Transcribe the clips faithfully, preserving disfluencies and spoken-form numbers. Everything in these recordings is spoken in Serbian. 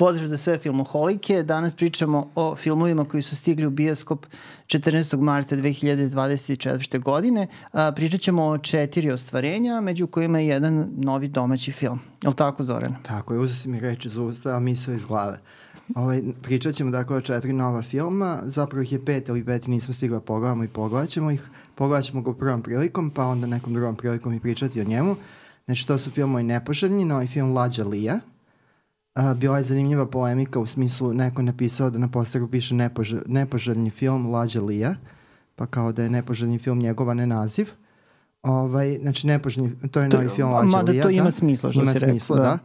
Pozdrav za sve filmoholike. Danas pričamo o filmovima koji su stigli u bioskop četrnaestog marta dve hiljade dvadeset četvrte. godine. A, pričat ćemo o četiri ostvarenja, među kojima je jedan novi domaći film. Je li tako, Zoran? Tako je, uzeo si mi reči iz usta, a misao iz glave. Ovaj, pričat ćemo dakle o četiri nova filma, zapravo ih je pet, ali peti nismo stigli da pogledamo i pogledat ćemo ih. Pogledat ćemo ga u prvom prilikom, pa onda nekom drugom prilikom i pričati o njemu. Znači, to su filmovi Nepoželjni, novi film Lađa Lija. Uh, bila je zanimljiva polemika u smislu neko je napisao da na posteru piše nepožel, nepoželjni film Lađa Lija, pa kao da je nepoželjni film njegova ne naziv. Ovaj, znači, nepoželjni, to je novi film Lađa Mada Lija. to ima da? smisla, što ima si smisla, rekao. Da.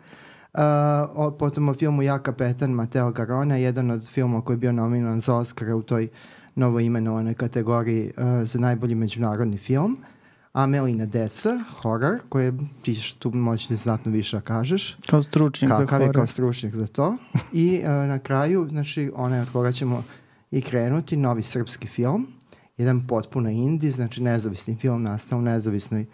da. Uh, o, potom o filmu Ja kapetan Mateo Garona, jedan od filmova koji je bio nominovan za Oscara u toj novoimenovanoj kategoriji uh, za najbolji međunarodni film. Amelina deca, horor, koje ti tu možeš znatno više da kažeš. Kao stručnjak za horor. Kao stručnjak za to. I uh, na kraju, znači, onaj od koga ćemo i krenuti, novi srpski film. Jedan potpuno indie, znači nezavisni film nastao u nezavisnoj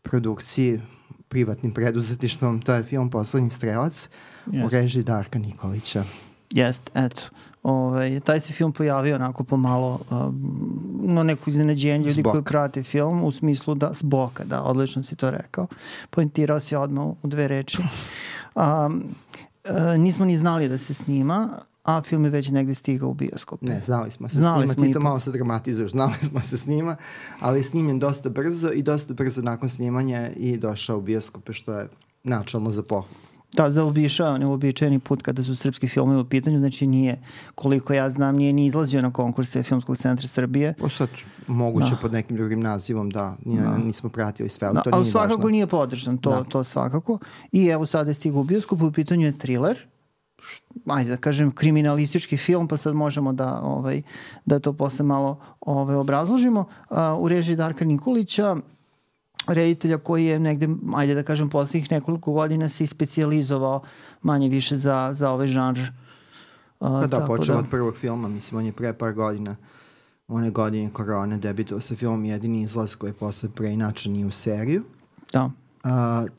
produkciji, privatnim preduzetištvom. To je film Poslednji strelac yes. u režiji Darka Nikolića. Jest, eto. Ove, taj se film pojavio onako pomalo um, no neko iznenađenje ljudi koji prate film u smislu da s boka, da, odlično si to rekao. Poentirao si odmah u dve reči. Um, uh, nismo ni znali da se snima, a film je već negde stigao u bioskop. Ne, znali smo se znali snima, smo ti to malo se dramatizuješ, znali smo se snima, ali je snimljen dosta brzo i dosta brzo nakon snimanja i došao u bioskope, što je načalno za pohvalu. Da, zaobišao neuobičajeni put kada su srpski filmovi u pitanju, znači nije, koliko ja znam, nije ni izlazio na konkurse Filmskog centra Srbije. O sad, moguće da. pod nekim drugim nazivom, da, nije, da. nismo pratili sve, ali da, to nije ali svakako važno. Nije podržan, to, da. to svakako. I evo sada je stigao u bioskopu, u pitanju je thriller, ajde da kažem kriminalistički film, pa sad možemo da, ovaj, da to posle malo ovaj, obrazložimo. Uh, u režiji Darka Nikolića, reditelja koji je negde, ajde da kažem, poslednjih nekoliko godina se i specijalizovao manje više za, za ovaj žanr. Uh, pa da, počeo da. od prvog filma, mislim, on je pre par godina, one godine korone, debitovao sa filmom Jedini izlaz koji je posle preinačen i u seriju. Da. Uh,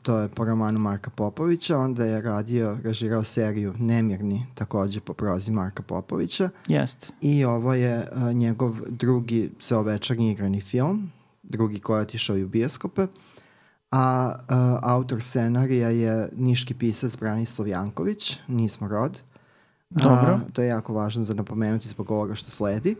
to je po romanu Marka Popovića, onda je radio, režirao seriju Nemirni, takođe po prozi Marka Popovića. Jeste. I ovo je uh, njegov drugi celovečernji igrani film, drugi koji je otišao i u bioskope, a uh, autor scenarija je niški pisac Branislav Janković, Nismo rod. Dobro. A, to je jako važno za napomenuti zbog ovoga što sledi.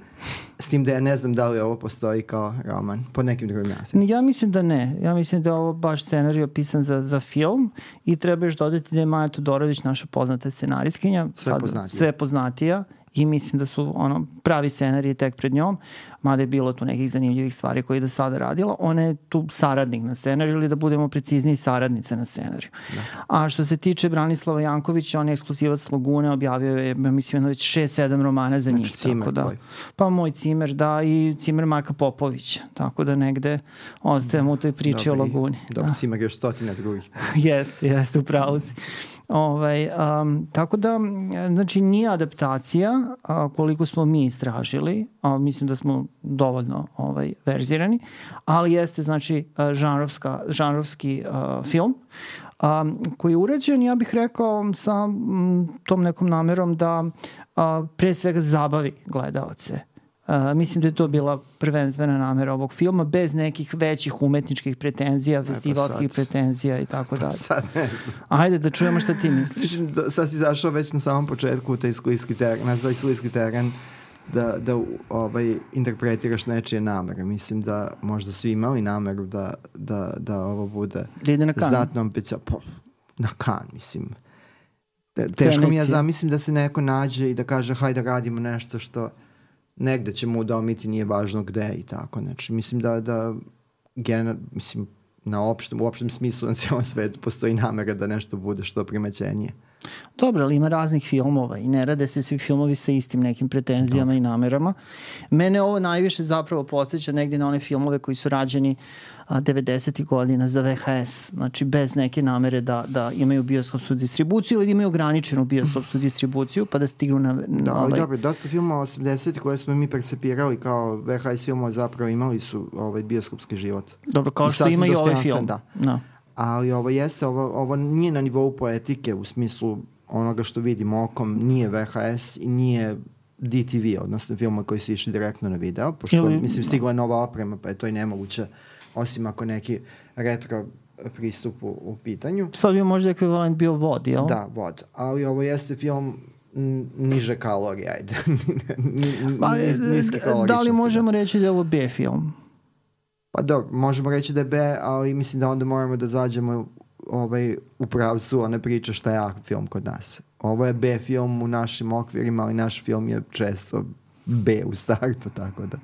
S tim da ja ne znam da li ovo postoji kao roman pod nekim drugim nazivom. Ja mislim da ne. Ja mislim da je ovo baš scenarij pisan za, za film i treba još dodati da je Maja Todorović naša poznata scenarijskinja. Sve sad, poznatija. Sve poznatija. I mislim da su ono pravi scenariji tek pred njom, mada je bilo tu nekih zanimljivih stvari koje je do sada radila. Ona je tu saradnik na scenariju ili da budemo precizniji saradnica na scenariju. Da. A što se tiče Branislava Jankovića, on je ekskluzivac Lagune, objavio je, mislim, već šest sedam romana za njih. Znači Cimer da. tvoj. Pa moj Cimer, da, i Cimer Marka Popovića. Tako da negde ostajemo u toj priči Dobre, o Laguni. Dobro, da. Cimer još stotina drugih. Jeste, jeste, upravo si. Ovaj, um, tako da, znači, nije adaptacija a, koliko smo mi istražili, a mislim da smo dovoljno ovaj, verzirani, ali jeste, znači, žanrovska, žanrovski a, film a, koji je urađen, ja bih rekao, sa m, tom nekom namerom da a, pre svega zabavi gledaoce. Uh, mislim da je to bila prvenstvena namera ovog filma, bez nekih većih umetničkih pretenzija, ne, festivalskih pa pretenzija i tako dalje. Sad ne znam. Ajde da čujemo šta ti misliš. Sad si zašao već na samom početku u taj sklijski teren, na taj sklijski teren da, da ovaj, interpretiraš nečije namere. Mislim da možda su imali nameru da, da, da ovo bude da ide na kan. Znatno ambicija. Na kan, mislim. Te, teško mi ja zamislim da se neko nađe i da kaže hajde radimo nešto što negde ćemo udomiti, nije važno gde i tako. Znači, mislim da, da gener, mislim, na opštem, u opštem smislu na cijelom svetu postoji namera da nešto bude što primećenije. Dobro, ali ima raznih filmova i ne rade se svi filmovi sa istim nekim pretenzijama Dobre. i namerama. Mene ovo najviše zapravo podsjeća negdje na one filmove koji su rađeni devedesetih godina za V H S, znači bez neke namere da, da imaju bioskopsku distribuciju ili da imaju ograničenu bioskopsku distribuciju pa da stignu na... na da, ovaj... Dobro, dosta filmova osamdesetih koje smo mi percepirali kao V H S filmova zapravo imali su ovaj bioskopski život. Dobro, kao što ima i ovaj film. Da. No. Ali ovo jeste, ovo, ovo nije na nivou poetike u smislu onoga što vidimo okom nije V H S i nije D T V, odnosno filmove koji su išli direktno na video, pošto Ili, mislim stigla je nova oprema, pa je to i nemoguće, osim ako neki retro pristup u, u pitanju. Sad bi možda ekvivalent bio vod, jel? Da, vod. Ali ovo jeste film niže kalorije, ajde. Niske kaloričnosti. Da li možemo reći da je ovo B film? Pa dobro, možemo reći da je B, ali mislim da onda moramo da zađemo ovaj, u pravcu one priče šta je A film kod nas. Ovo je B film u našim okvirima, ali naš film je često B u startu, tako da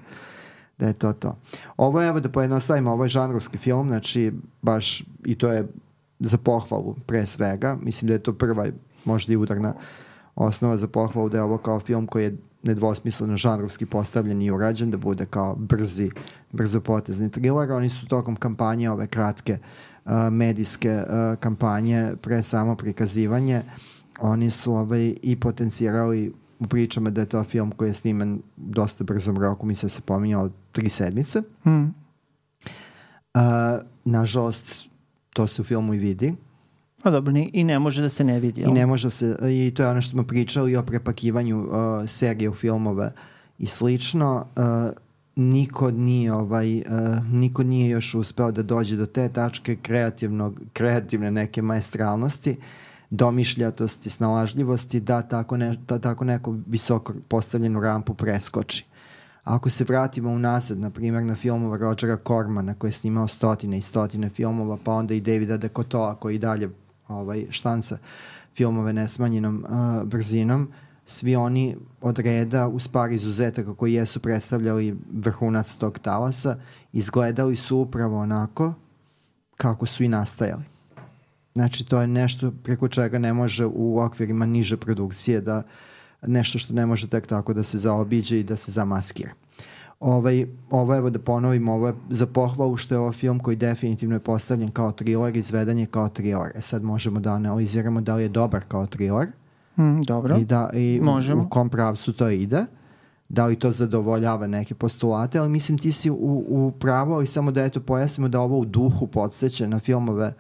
da je to to. Ovo je, evo da pojednostavimo, ovo je žanrovski film, znači baš i to je za pohvalu pre svega. Mislim da je to prva, možda i udarna osnova za pohvalu, da je ovo kao film koji je nedvosmisleno žanrovski postavljen i urađen, da bude kao brzi, brzopotezni thriller. Oni su tokom kampanje, ove kratke uh, medijske uh, kampanje, pre samo prikazivanje, oni su ovaj, i potencirali u pričama da je to film koji je sniman dosta brzom roku, mislim da se pominjao tri sedmice. Mm. Uh, nažalost, to se u filmu i vidi. A dobro, i ne može da se ne vidi. I ne može se, i to je ono što smo pričali o prepakivanju uh, serije u filmove i slično. Uh, niko nije ovaj, uh, niko nije još uspeo da dođe do te tačke kreativnog, kreativne neke maestralnosti, domišljatosti, snalažljivosti, da tako, ne, da tako neku visoko postavljenu rampu preskoči. Ako se vratimo unazad, na primjer, na filmova Rogera Cormana, koji je snimao stotine i stotine filmova, pa onda i Davida de Coteau, koji i dalje ovaj, štanca filmove nesmanjenom uh, brzinom, svi oni od reda, uz par izuzetaka koji jesu predstavljali vrhunac tog talasa, izgledali su upravo onako kako su i nastajali. Znači, to je nešto preko čega ne može u okvirima niže produkcije da nešto što ne može tek tako da se zaobiđe i da se zamaskira. Ovaj, ovo, evo da ponovim, ovo je za pohvalu što je ovo film koji definitivno je postavljen kao thriller, izveden je kao thriller. E sad možemo da analiziramo da li je dobar kao thriller. Mm, dobro, i da, i možemo. U, u kom pravcu to ide. Da li to zadovoljava neke postulate, ali mislim ti si u, u pravu, ali samo da eto pojasnimo da ovo u duhu podsjeća na filmove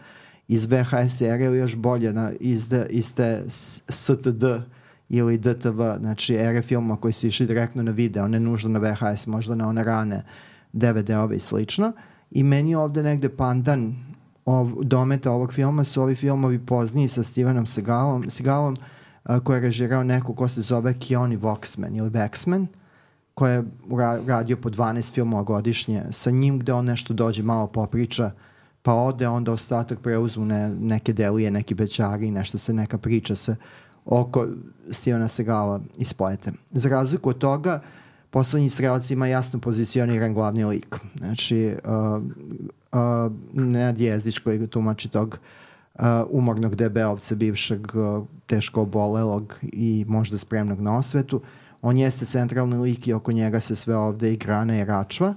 iz V H S serije ili još bolje na, iz, de, iz te S T D ili D T V, znači ere filma koji su išli direktno na video, ne nužno na V H S, možda na one rane D V D-ove i slično. I meni ovde negde pandan ov, dometa ovog filma su ovi filmovi pozniji sa Stevenom Seagalom, Seagalom a, koji je režirao neko ko se zove Keone Waxman ili Waxman, koji je radio po dvanaest filmova godišnje sa njim, gde on nešto dođe, malo popriča, pa ode, onda ostatak preuzmu ne, neke delije, neki bećari, nešto se, neka priča se oko Stevena Seagala isplete. Za razliku od toga, Poslednji strelac ima jasno pozicioniran glavni lik. Znači, uh, uh, Nenad Jezdić koji tumači tog uh, umornog debeovca, bivšeg uh, teško obolelog i možda spremnog na osvetu, on jeste centralni lik i oko njega se sve ovde i grana i račva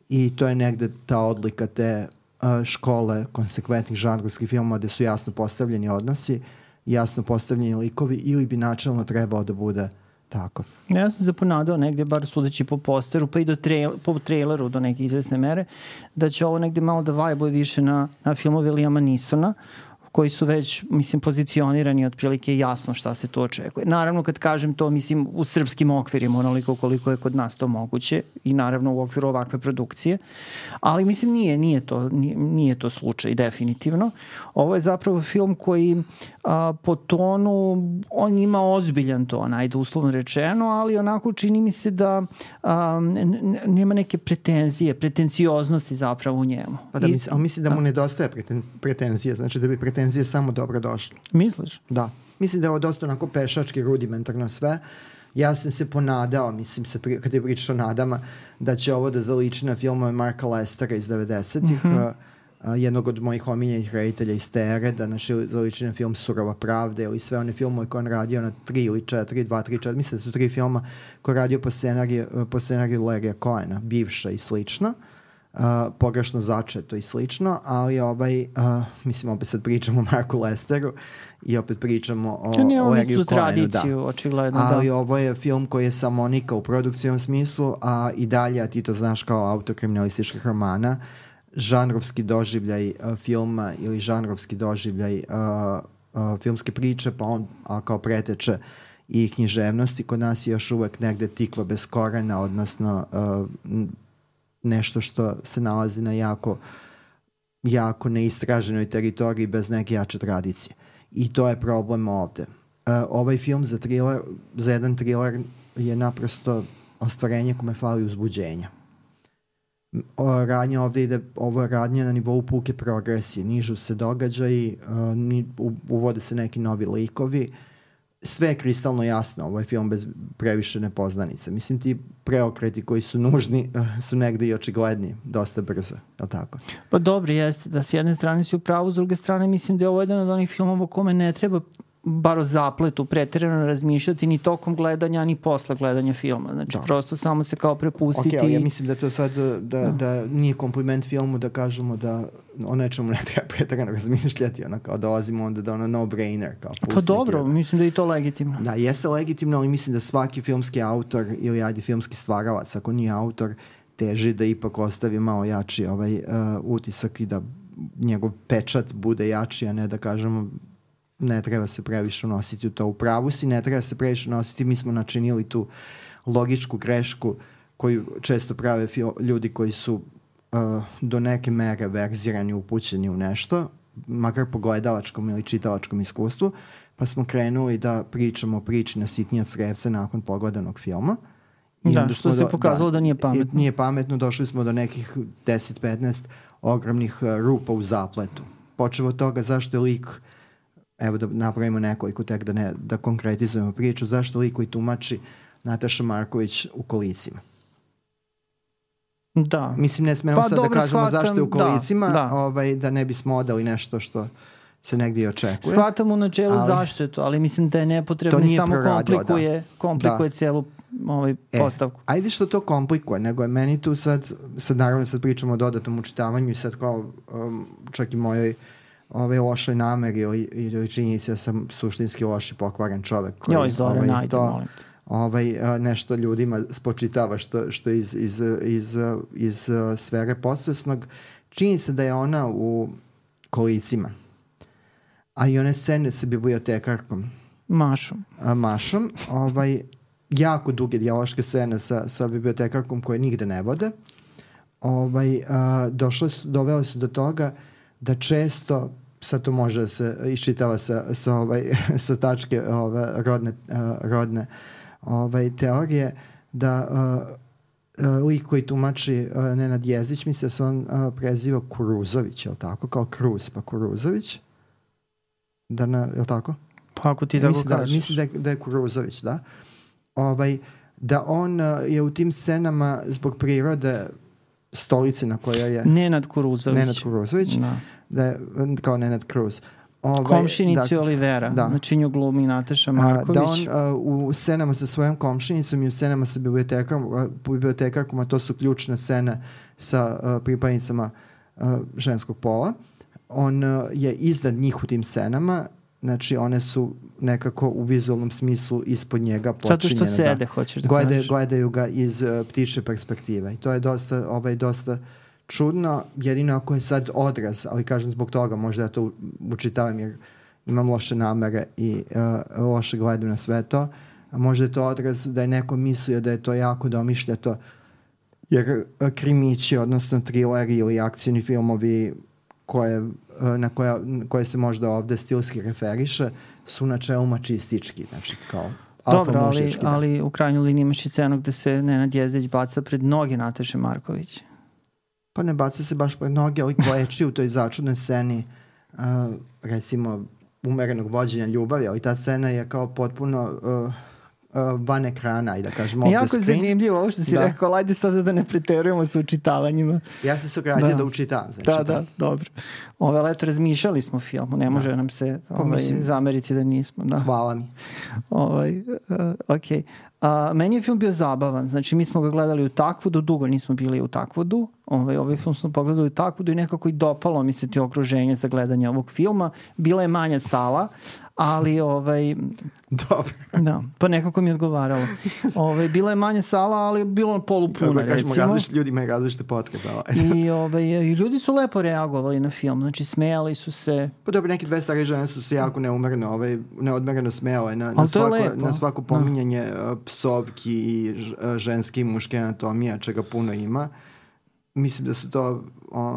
i to je negde ta odlika te uh, škole konsekventnih žanrovskih filmova gde su jasno postavljeni odnosi, jasno postavljeni likovi ili bi načelno trebao da bude tako. Ja sam se ponadao negde, bar sudeći po posteru, pa i do trail, po traileru do neke izvesne mere, da će ovo negde malo da vajbuje više na, na filmove Liama Neesona, koji su već, mislim, pozicionirani otprilike jasno šta se to očekuje. Naravno, kad kažem to, mislim, u srpskim okvirima, onoliko koliko je kod nas to moguće i naravno u okviru ovakve produkcije, ali mislim nije, nije to, nije, nije to slučaj, definitivno. Ovo je zapravo film koji a, po tonu, on ima ozbiljan ton, ajde uslovno rečeno, ali onako čini mi se da a, nema neke pretenzije, pretencioznosti zapravo u njemu. Pa da, mislim, ali mislim da mu nedostaje preten, pretenzije, znači da bi pretenzije samo dobro došlo. Misliš? Da. Mislim da je ovo dosta onako pešački, rudimentarno sve. Ja sam se ponadao, mislim, sad pri, kad je pričaš o nadama, da će ovo da zaliči na filmove Marka Lestera iz devedesetih, mm-hmm. uh, uh, jednog od mojih omiljenih reditelja iz te ere, da znači, zaliči na film Surova pravda ili sve one filmove koje on radio na tri ili četiri, dva, tri, četiri, mislim da su tri filma koje radio po scenariju, po scenariju Larrya Cohena, bivša i slično. Uh, pogrešno začeto i slično, ali ovaj, uh, mislim, opet sad pričamo o Marku Lesteru i opet pričamo o, o Larryu Cohenu, da. Očigledno, ali da. ovo je film koji je samonika u produkcijnom smislu, a i dalje, a ti to znaš kao autor kriminalističkih romana, žanrovski doživljaj uh, filma ili žanrovski doživljaj uh, uh, filmske priče, pa on a kao preteče i književnosti. Kod nas je još uvek negde tikva bez korena, odnosno uh, nešto što se nalazi na jako, jako neistraženoj teritoriji bez neke jače tradicije. I to je problem ovde. Uh, ovaj film za, thriller, za jedan thriller je naprosto ostvarenje kome fali uzbuđenja. O, radnja ovde ide, ovo je radnja na nivou puke progresije, nižu se događaji, uh, ni, u, uvode se neki novi likovi, sve je kristalno jasno, ovo je film bez previše nepoznanica. Mislim, ti preokreti koji su nužni uh, su negde i očigledni, dosta brzo, je li tako? Pa dobro, jeste da s jedne strane si u pravu, s druge strane mislim da je ovo jedan od onih filmova kome ne treba bar o zapletu preterano razmišljati ni tokom gledanja, ni posle gledanja filma. Znači, da. Prosto samo se kao prepustiti. Ok, ali ja mislim da to sad, da, da, da nije kompliment filmu da kažemo da o nečemu ne treba preterano razmišljati, ono kao dolazimo onda da ono no-brainer. Kao pa dobro, jedan. Mislim da je i to legitimno. Da, jeste legitimno, ali mislim da svaki filmski autor ili ajde filmski stvaralac, ako nije autor, teži da ipak ostavi malo jači ovaj uh, utisak i da njegov pečat bude jači, a ne da kažemo ne treba se previše unositi u to. U pravu si, ne treba se previše unositi. Mi smo načinili tu logičku grešku koju često prave ljudi koji su uh, do neke mere verzirani, upućeni u nešto, makar po gledalačkom ili čitalačkom iskustvu, pa smo krenuli da pričamo o priči na sitnija crevca nakon pogledanog filma. I da, što se do, pokazalo da, da nije pametno. Nije pametno, došli smo do nekih deset petnaest ogromnih uh, rupa u zapletu. Počeo od toga zašto je lik, evo da napravimo nekoliko tek da, ne, da konkretizujemo priču, zašto lik koji tumači Nataša Marković u kolicima. Da. Mislim, ne smemo pa, sad da kažemo shvatam, zašto je u kolicima, da, da. Ovaj, da ne bismo odali nešto što se negdje očekuje. Shvatam u načelu ali, zašto je to, ali mislim da je nepotrebno i samo proradio, komplikuje, da. komplikuje da. Celu ovaj postavku. E, ajde što to komplikuje, nego je meni tu sad, sad naravno sad pričamo o dodatnom učitavanju i sad kao um, čak i mojoj ove lošoj nameri ili, ili činjenici da sam suštinski loš i pokvaren čovek koji Joj, Zore, ovaj, najde, to, molim te. Ovaj, nešto ljudima spočitava što, što iz, iz, iz, iz sfere podsvesnog. Čini se da je ona u kolicima. A i one scene sa bibliotekarkom. Mašom. A, mašom. Ovaj, jako duge dijaloške scene sa, sa bibliotekarkom koje nigde ne vode. Ovaj, a, došle su, dovele su do toga da često, sad to može da se iščitava sa, sa, ovaj, sa tačke ove, rodne, uh, rodne ovaj, teorije, da uh, uh, lik koji tumači uh, Nenad Jezdić, misle da se on uh, preziva Kuruzović, je li tako? Kao Kruz, pa Kuruzović? Da na, je li tako? Pa ako ti tako mislim kažeš. Da, mislim da je, da je Kuruzović, da. Ovaj, da on uh, je u tim scenama zbog prirode stolice na kojoj je Nenad Kuruzović. Nenad Kuruzović. Da. Da je, kao Nenad Kruz. Ovaj, komšinici da, Olivera. Da. Znači nju glumi Nataša Marković. A, da on uh, u scenama sa svojom komšinicom i u scenama sa bibliotekarkom, uh, bibliotekarkom, a to su ključne scene sa uh, pripadnicama uh, ženskog pola. On uh, je iznad njih u tim scenama. Znači one su nekako u vizualnom smislu ispod njega počinjene. Zato što sede, da, hoćeš da glede, kažeš. Gledaju ga iz uh, ptičje perspektive. I to je dosta, ovaj, dosta čudno, jedino ako je sad odraz, ali kažem zbog toga, možda ja to učitavam jer imam loše namere i uh, loše gledam na sve to, a možda je to odraz da je neko mislio da je to jako domišljato, jer krimići, odnosno trileri ili akcijni filmovi koje, na koja, koje se možda ovde stilski referiše, su na čelu mačistički, znači kao dobro, ali, da. ali u krajnjoj liniji imaš i scenu gde se Nenad Jezdić baca pred noge Nataše Marković. Pa ne baca se baš pred noge, ali kleči u toj začudnoj sceni, uh, recimo, umerenog vođenja ljubavi, ali ta scena je kao potpuno uh, uh, van ekrana i da kažemo off the screen. Jako zanimljivo ovo što si da. rekao, ajde sad da ne preterujemo sa učitavanjima. Ja sam se ogradio da, da učitavam. Znači, da, da, da, dobro. Ove leto razmišljali smo filmu, ne može da. nam se ovaj, mislim, zameriti da nismo. Da. Hvala mi. Ovaj, uh, ok. A, meni je film bio zabavan, znači mi smo ga gledali u Takvudu, dugo nismo bili u Takvudu, ovaj, ovaj film smo pogledali u Takvudu i nekako i dopalo mi se ti okruženje za gledanje ovog filma, bila je manja sala, ali ovaj... Dobro. Da, pa nekako mi je odgovaralo. Ovaj, bila je manja sala, ali bilo polupuna, recimo. Kako kažemo, različite ljudi imaju različite potrebe. I, ovaj, I ljudi su lepo reagovali na film, znači smejali su se. Pa dobro, neke dve stare žene su se jako neumereno, ovaj, neodmereno smejale na, na, svako, na svako pominjanje no. psovki i ženske i muške anatomije, čega puno ima. Mislim da su to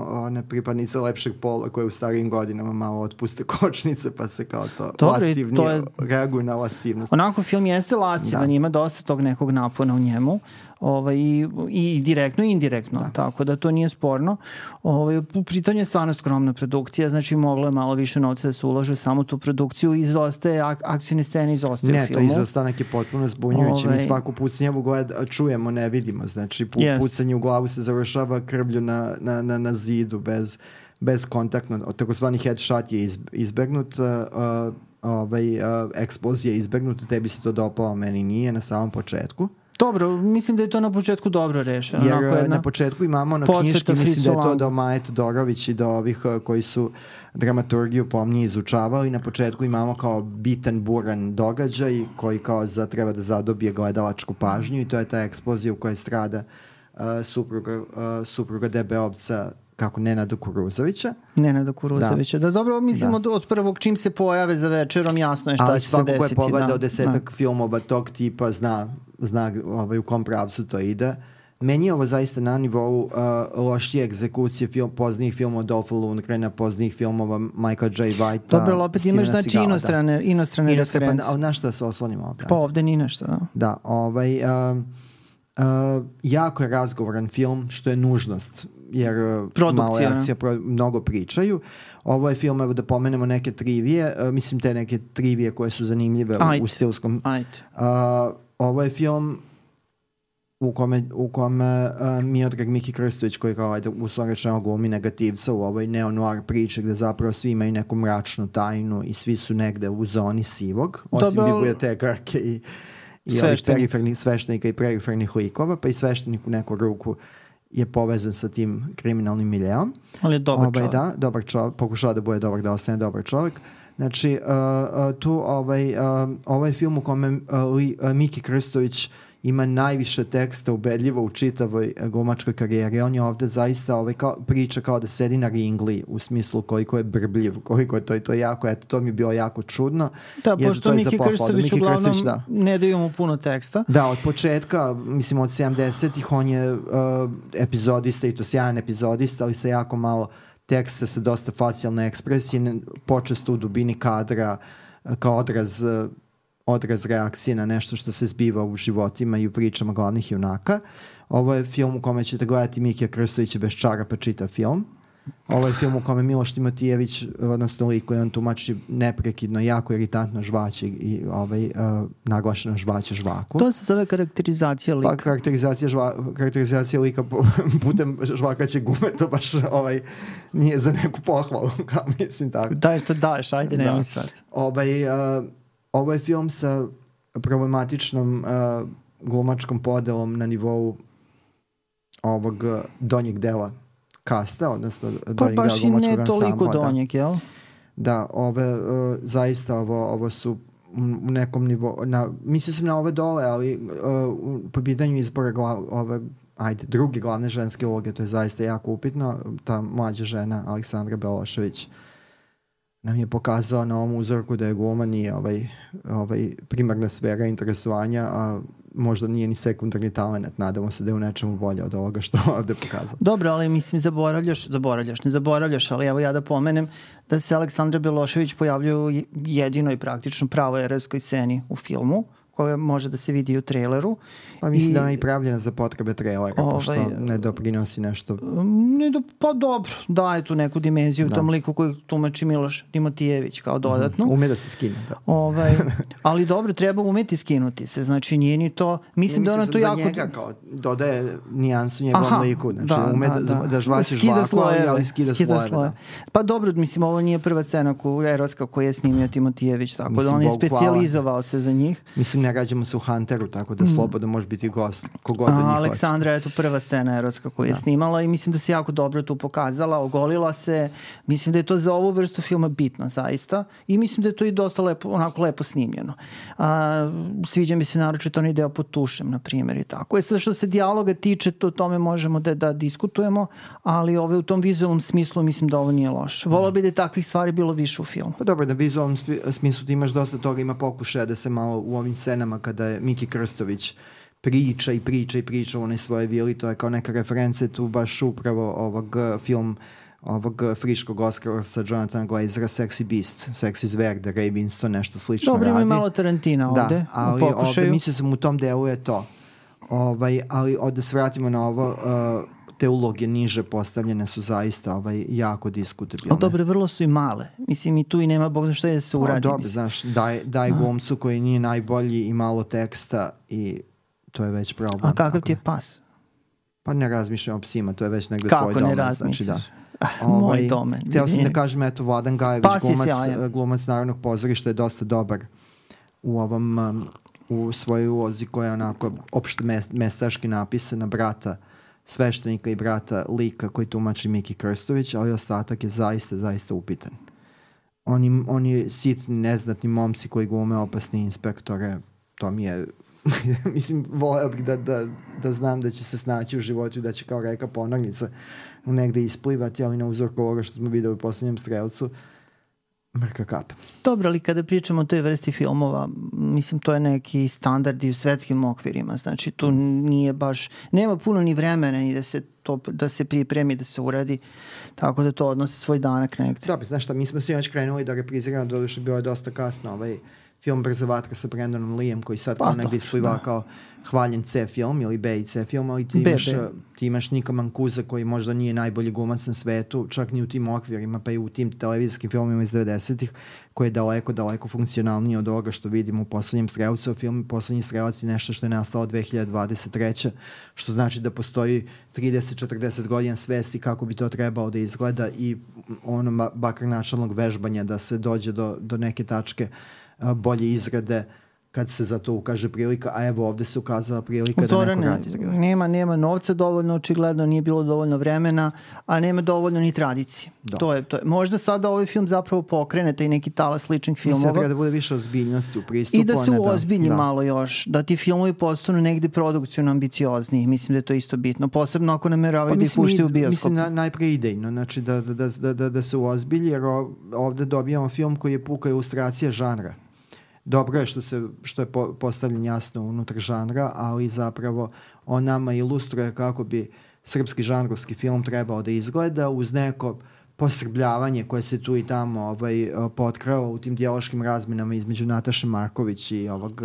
one pripadnice lepšeg pola koje u starijim godinama malo otpuste kočnice pa se kao to Dobre, lasivnije to je... reaguju na lasivnost. Onako film jeste lasivan, ima dosta tog nekog napona u njemu, ovaj, i, i direktno i indirektno, da. Tako da to nije sporno. Ovaj, pritom je stvarno skromna produkcija, znači moglo je malo više novca da se ulaže samo tu produkciju, izostaje ak akcijne scene, izostaje ne, u filmu. Ne, to izostanak je potpuno zbunjujući, ovaj... mi svaku pucnjevu gled, čujemo, ne vidimo, znači pu, yes. pucanje u glavu se završava krvlju na, na, na, na zidu, bez, bez kontaktno, takozvani headshot je iz, izbegnut, uh, ovaj, uh, eksplozija je izbegnut, tebi se to dopao, meni nije na samom početku. Dobro, mislim da je to na početku dobro rešeno. Jer jedna na početku imamo na knjiški, mislim da je to do Maje Todorović i do ovih koji su dramaturgiju pomnije izučavali. Na početku imamo kao bitan, buran događaj koji kao za, treba da zadobije gledalačku pažnju i to je ta eksplozija u kojoj strada uh, supruga, uh, supruga Debeovca kako Nenada Kuruzovića. Nenada Kuruzovića. Da, da dobro, mislim da. Od, od prvog čim se pojave za večerom jasno je šta ali će se desiti. Ali svako ko je pogledao desetak da. filmova tog tipa zna, zna ovaj, u kom pravcu to ide. Meni je ovo zaista na nivou uh, lošije egzekucije film, poznijih filmova Dolpha Lundgrena, poznijih filmova Michael J. Whitea. Dobro, ali opet imaš znači inostrane, inostrane I referencije. Ali na što da se oslonimo opet? Pa ovde ni nešto. Da, da ovaj... Uh, Uh, jako je razgovoran film, što je nužnost, jer malo akcija, pro, mnogo pričaju. Ovo je film, evo da pomenemo neke trivije, uh, mislim te neke trivije koje su zanimljive Ajde. u stilskom. Uh, ovo je film u kome, u kome uh, Miodrag Miki Krstović, koji kao ajde, uslovno rečeno glumi negativca u ovoj neo-noir priči gde zapravo svi imaju neku mračnu tajnu i svi su negde u zoni sivog, osim Dobro. bibliotekarke i i ovih perifernih sveštenika i perifernih likova, pa i sveštenik u neku ruku je povezan sa tim kriminalnim miljeom. Ali je dobar Obaj, čovjek. Da, dobar čovjek, pokušava da bude dobar, da ostane dobar čovjek. Znači, uh, uh, tu ovaj, uh, ovaj film u kome uh, uh, Miki Krstović ima najviše teksta ubedljivo u čitavoj glumačkoj karijeri. On je ovde zaista ovaj, kao, priča kao da sedi na ringli u smislu koliko je brbljiv, koliko je to i to je jako, eto, to mi je bilo jako čudno. Da, pošto Miki Krstović uglavnom Krstović, da. ne daju mu puno teksta. Da, od početka, mislim od sedamdesetih on je uh, epizodista i to sjajan epizodista, ali sa jako malo teksta, sa dosta facijalne ekspresije, počesto u dubini kadra kao odraz odraz reakcije na nešto što se zbiva u životima i u pričama glavnih junaka. Ovo je film u kome ćete gledati Mikija Krstovića bez čarapa čita film. Ovo je film u kome Miloš Timotijević, odnosno lik koji on tumači neprekidno, jako iritantno žvaće i ovaj, uh, naglašeno žvaće žvaku. To se zove karakterizacija lika. Pa karakterizacija, žva, karakterizacija lika putem žvakaće gume, to baš ovaj, nije za neku pohvalu, kao mislim tako. Daj što daš, ajde nemoj sad. Ovaj... Uh, Ovo je film sa problematičnom uh, glumačkom podelom na nivou ovog donjeg dela kasta, odnosno pa donjeg dela glumačkog ansambla. Pa baš i ne toliko donjeg, jel? Da, ove, uh, zaista ovo, ovo su u nekom nivou, na, mislim sam na ove dole, ali uh, po pitanju izbora glav, ove, ajde, druge glavne ženske uloge, to je zaista jako upitno. Ta mlađa žena, Aleksandra Belošević, nam je pokazao na ovom uzorku da je gluma nije ovaj, ovaj primarna sfera interesovanja, a možda nije ni sekundarni talent. Nadamo se da je u nečemu bolje od ovoga što ovde pokazao. Dobro, ali mislim zaboravljaš, zaboravljaš, ne zaboravljaš, ali evo ja da pomenem da se Aleksandra Belošević pojavljuje u jedinoj praktično pravoj erotskoj sceni u filmu, koja može da se vidi u traileru. Pa mislim I, da ona je i pravljena za potrebe trailera, ovaj, pošto ne doprinosi nešto. Ne do, pa dobro, daje tu neku dimenziju da. tom liku koji tumači Miloš Timotijević kao dodatno. Mm, ume da se skine. Da. Ovaj, ali dobro, treba umeti skinuti se, znači nije ni to, mislim ne, da ona to jako... Za njega kao dodaje nijansu njegovom liku, znači da, ume da, da, da žvaće žvaku, ali skida, skida slojeve. slojeve. Da. Pa dobro, mislim, ovo nije prva scena erotska koju je snimio Timotijević, tako mislim, da on je specijalizovao se za njih. Mislim, ne rađamo se u Hunteru, tako da slobodno može biti gost, kogod od njih hoće. Aleksandra je tu prva scena erotska koju je da. snimala i mislim da se jako dobro tu pokazala, ogolila se, mislim da je to za ovu vrstu filma bitno zaista i mislim da je to i dosta lepo, onako lepo snimljeno. A, sviđa mi se naročito onaj deo pod tušem, na primjer, i tako. E sad što se dijaloga tiče, to o tome možemo da, da diskutujemo, ali ove, u tom vizualnom smislu mislim da ovo nije loše. Volao bi da je takvih stvari bilo više u filmu. Pa dobro, na vizualnom smislu ti imaš dosta toga, ima pokušaja da se malo u ovim scenama kada je Miki Krstović priča i priča i priča u onoj svoje vili, to je kao neka referenca tu baš upravo ovog film ovog friškog Oscarovca Jonathana Glazera Sexy Beast, Sexy zver, da Ray Winston nešto slično Dobro, radi. Dobro, ima malo Tarantina ovde. Da, ali ovde mislio sam u tom delu je to. Ovaj, ali ovde se vratimo na ovo, uh, te uloge niže postavljene su zaista ovaj, jako diskutabilne. Ali dobro, vrlo su i male. Mislim, i tu i nema bog za šta je da se uradi. Dobro, mislim. Znaš, daj, daj glumcu koji nije najbolji i malo teksta i to je već problem. A kakav ti je pas? Pa ne razmišljam o psima, to je već negde Kako tvoj domen. Kako ne razmišljaš? Znači, da. Ah, ovaj, moj domen. Htio sam da kažem, eto, Vladan Gajević, glumac, glumac Narodnog pozorišta je dosta dobar u ovom, um, u svojoj ulozi koja je onako opšte mestaški napisana, brata sveštenika i brata lika koji tumači Miki Krstović, ali ostatak je zaista, zaista upitan. Oni, oni sitni, neznatni momci koji glume opasni inspektore, to mi je, mislim, voleo bih da, da, da znam da će se snaći u životu i da će kao reka Ponarnica negde isplivati, ali na uzorku ovoga što smo videli u poslednjem Strelcu, mrka kap. Dobro, ali kada pričamo o toj vrsti filmova, mislim, to je neki standard i u svetskim okvirima, znači tu nije baš, nema puno ni vremena ni da se to, da se pripremi, da se uradi, tako da to odnosi svoj danak negde. Dobro, znaš šta, mi smo svi već krenuli da repriziramo, doduše bilo je dosta kasno, ovaj film Brza vatra sa Brandonom Leeom, koji sad pa, negde ispliva da. Kao hvaljen C film ili B i C film, ali ti imaš, ti imaš Nika Mancusa koji možda nije najbolji glumac na svetu, čak ni u tim okvirima, pa i u tim televizijskim filmima iz devedesetih, koji je daleko, daleko funkcionalniji od ovoga što vidimo u poslednjem Strelcu. Film Poslednji strelac je nešto što je nastalo dve hiljade dvadeset treće što znači da postoji trideset do četrdeset godina svesti kako bi to trebalo da izgleda i ono bakar načalnog vežbanja da se dođe do, do neke tačke bolje izrade kad se za to ukaže prilika, a evo ovde se ukazala prilika Zorane, da neko radi. Nema, nema novca dovoljno, očigledno nije bilo dovoljno vremena, a nema dovoljno ni tradicije. To je, to je. Možda sada ovaj film zapravo pokrene taj neki talas sličnih filmova. Mislim da treba da bude više ozbiljnosti u pristupu. I da se uozbilji da, malo još, da ti filmovi postanu negde produkcijno ambiciozniji. Mislim da je to isto bitno. Posebno ako nameravaju pa, da ih puštaju u bioskopu. Mislim na, najpre idejno, znači da, da, da, da, da, da se uozbilji, jer ovde dobijamo film koji je puka ilustracija žanra. Dobro je što, se, što je po, postavljen jasno unutar žanra, ali zapravo on nama ilustruje kako bi srpski žanrovski film trebao da izgleda uz neko posrbljavanje koje se tu i tamo ovaj, potkralo u tim dijaloškim razmenama između Nataše Marković i ovog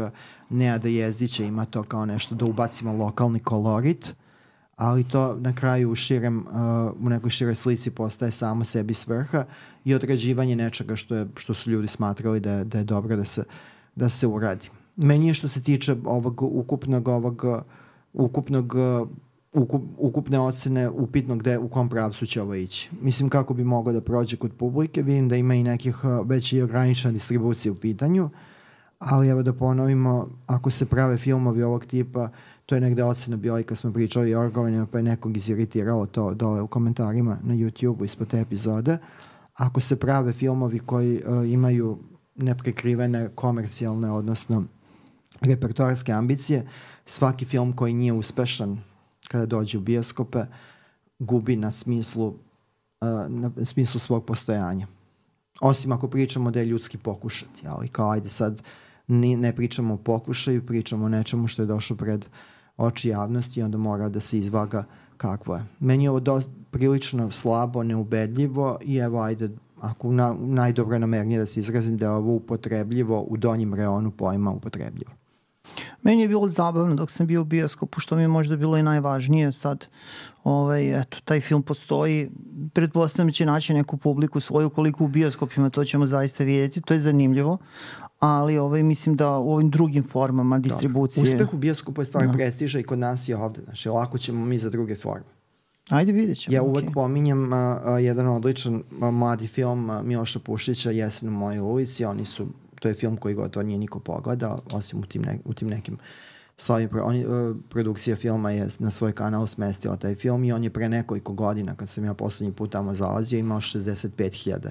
Nenada Jezdića. Ima to kao nešto da ubacimo lokalni kolorit, ali to na kraju u, širem, uh, u nekoj široj slici postaje samo sebi svrha i određivanje nečega što, je, što su ljudi smatrali da je, da je dobro da se, da se uradi. Meni je što se tiče ovog ukupnog, ovog, ukupnog, ukup, ukupne ocene upitno gde, u kom pravcu će ovo ići. Mislim kako bi moglo da prođe kod publike, vidim da ima i nekih već i ograničena distribucija u pitanju, ali evo da ponovimo, ako se prave filmovi ovog tipa, to je negde ocena bila i kad smo pričali o orgovanjima, pa je nekog iziritiralo to dole u komentarima na YouTube-u ispod te epizode. Ako se prave filmovi koji uh, imaju neprekrivene komercijalne, odnosno repertoarske ambicije, svaki film koji nije uspešan kada dođe u bioskope gubi na smislu, uh, na smislu svog postojanja. Osim ako pričamo da je ljudski pokušati, ali kao ajde sad ni, ne pričamo o pokušaju, pričamo o nečemu što je došlo pred oči javnosti i onda mora da se izvaga kakvo je. Meni je ovo do, prilično slabo, neubedljivo i evo ajde, ako na, najdobro namernije da se izrazim da je ovo upotrebljivo u donjem reonu pojma upotrebljivo. Meni je bilo zabavno dok sam bio u bioskopu, što mi je možda bilo i najvažnije sad. Ovaj, eto, taj film postoji, pretpostavljam će naći neku publiku svoju, koliko u bioskopima, to ćemo zaista vidjeti, to je zanimljivo, ali ovaj, mislim da u ovim drugim formama distribucije... Uspeh u bioskopu je stvar no. prestiža i kod nas i ovde, znači lako ćemo mi za druge forme. Ajde vidjet ćemo. Ja uvek okay. pominjem a, a, jedan odličan a, mladi film a, Miloša Pušića, Jesen u mojoj ulici, oni su to je film koji gotovo nije niko pogledao, osim u tim, ne, u tim nekim slavim. Oni, uh, produkcija filma je na svoj kanal smestila taj film i on je pre nekoliko godina, kad sam ja poslednji put tamo zalazio, imao šezdeset pet hiljada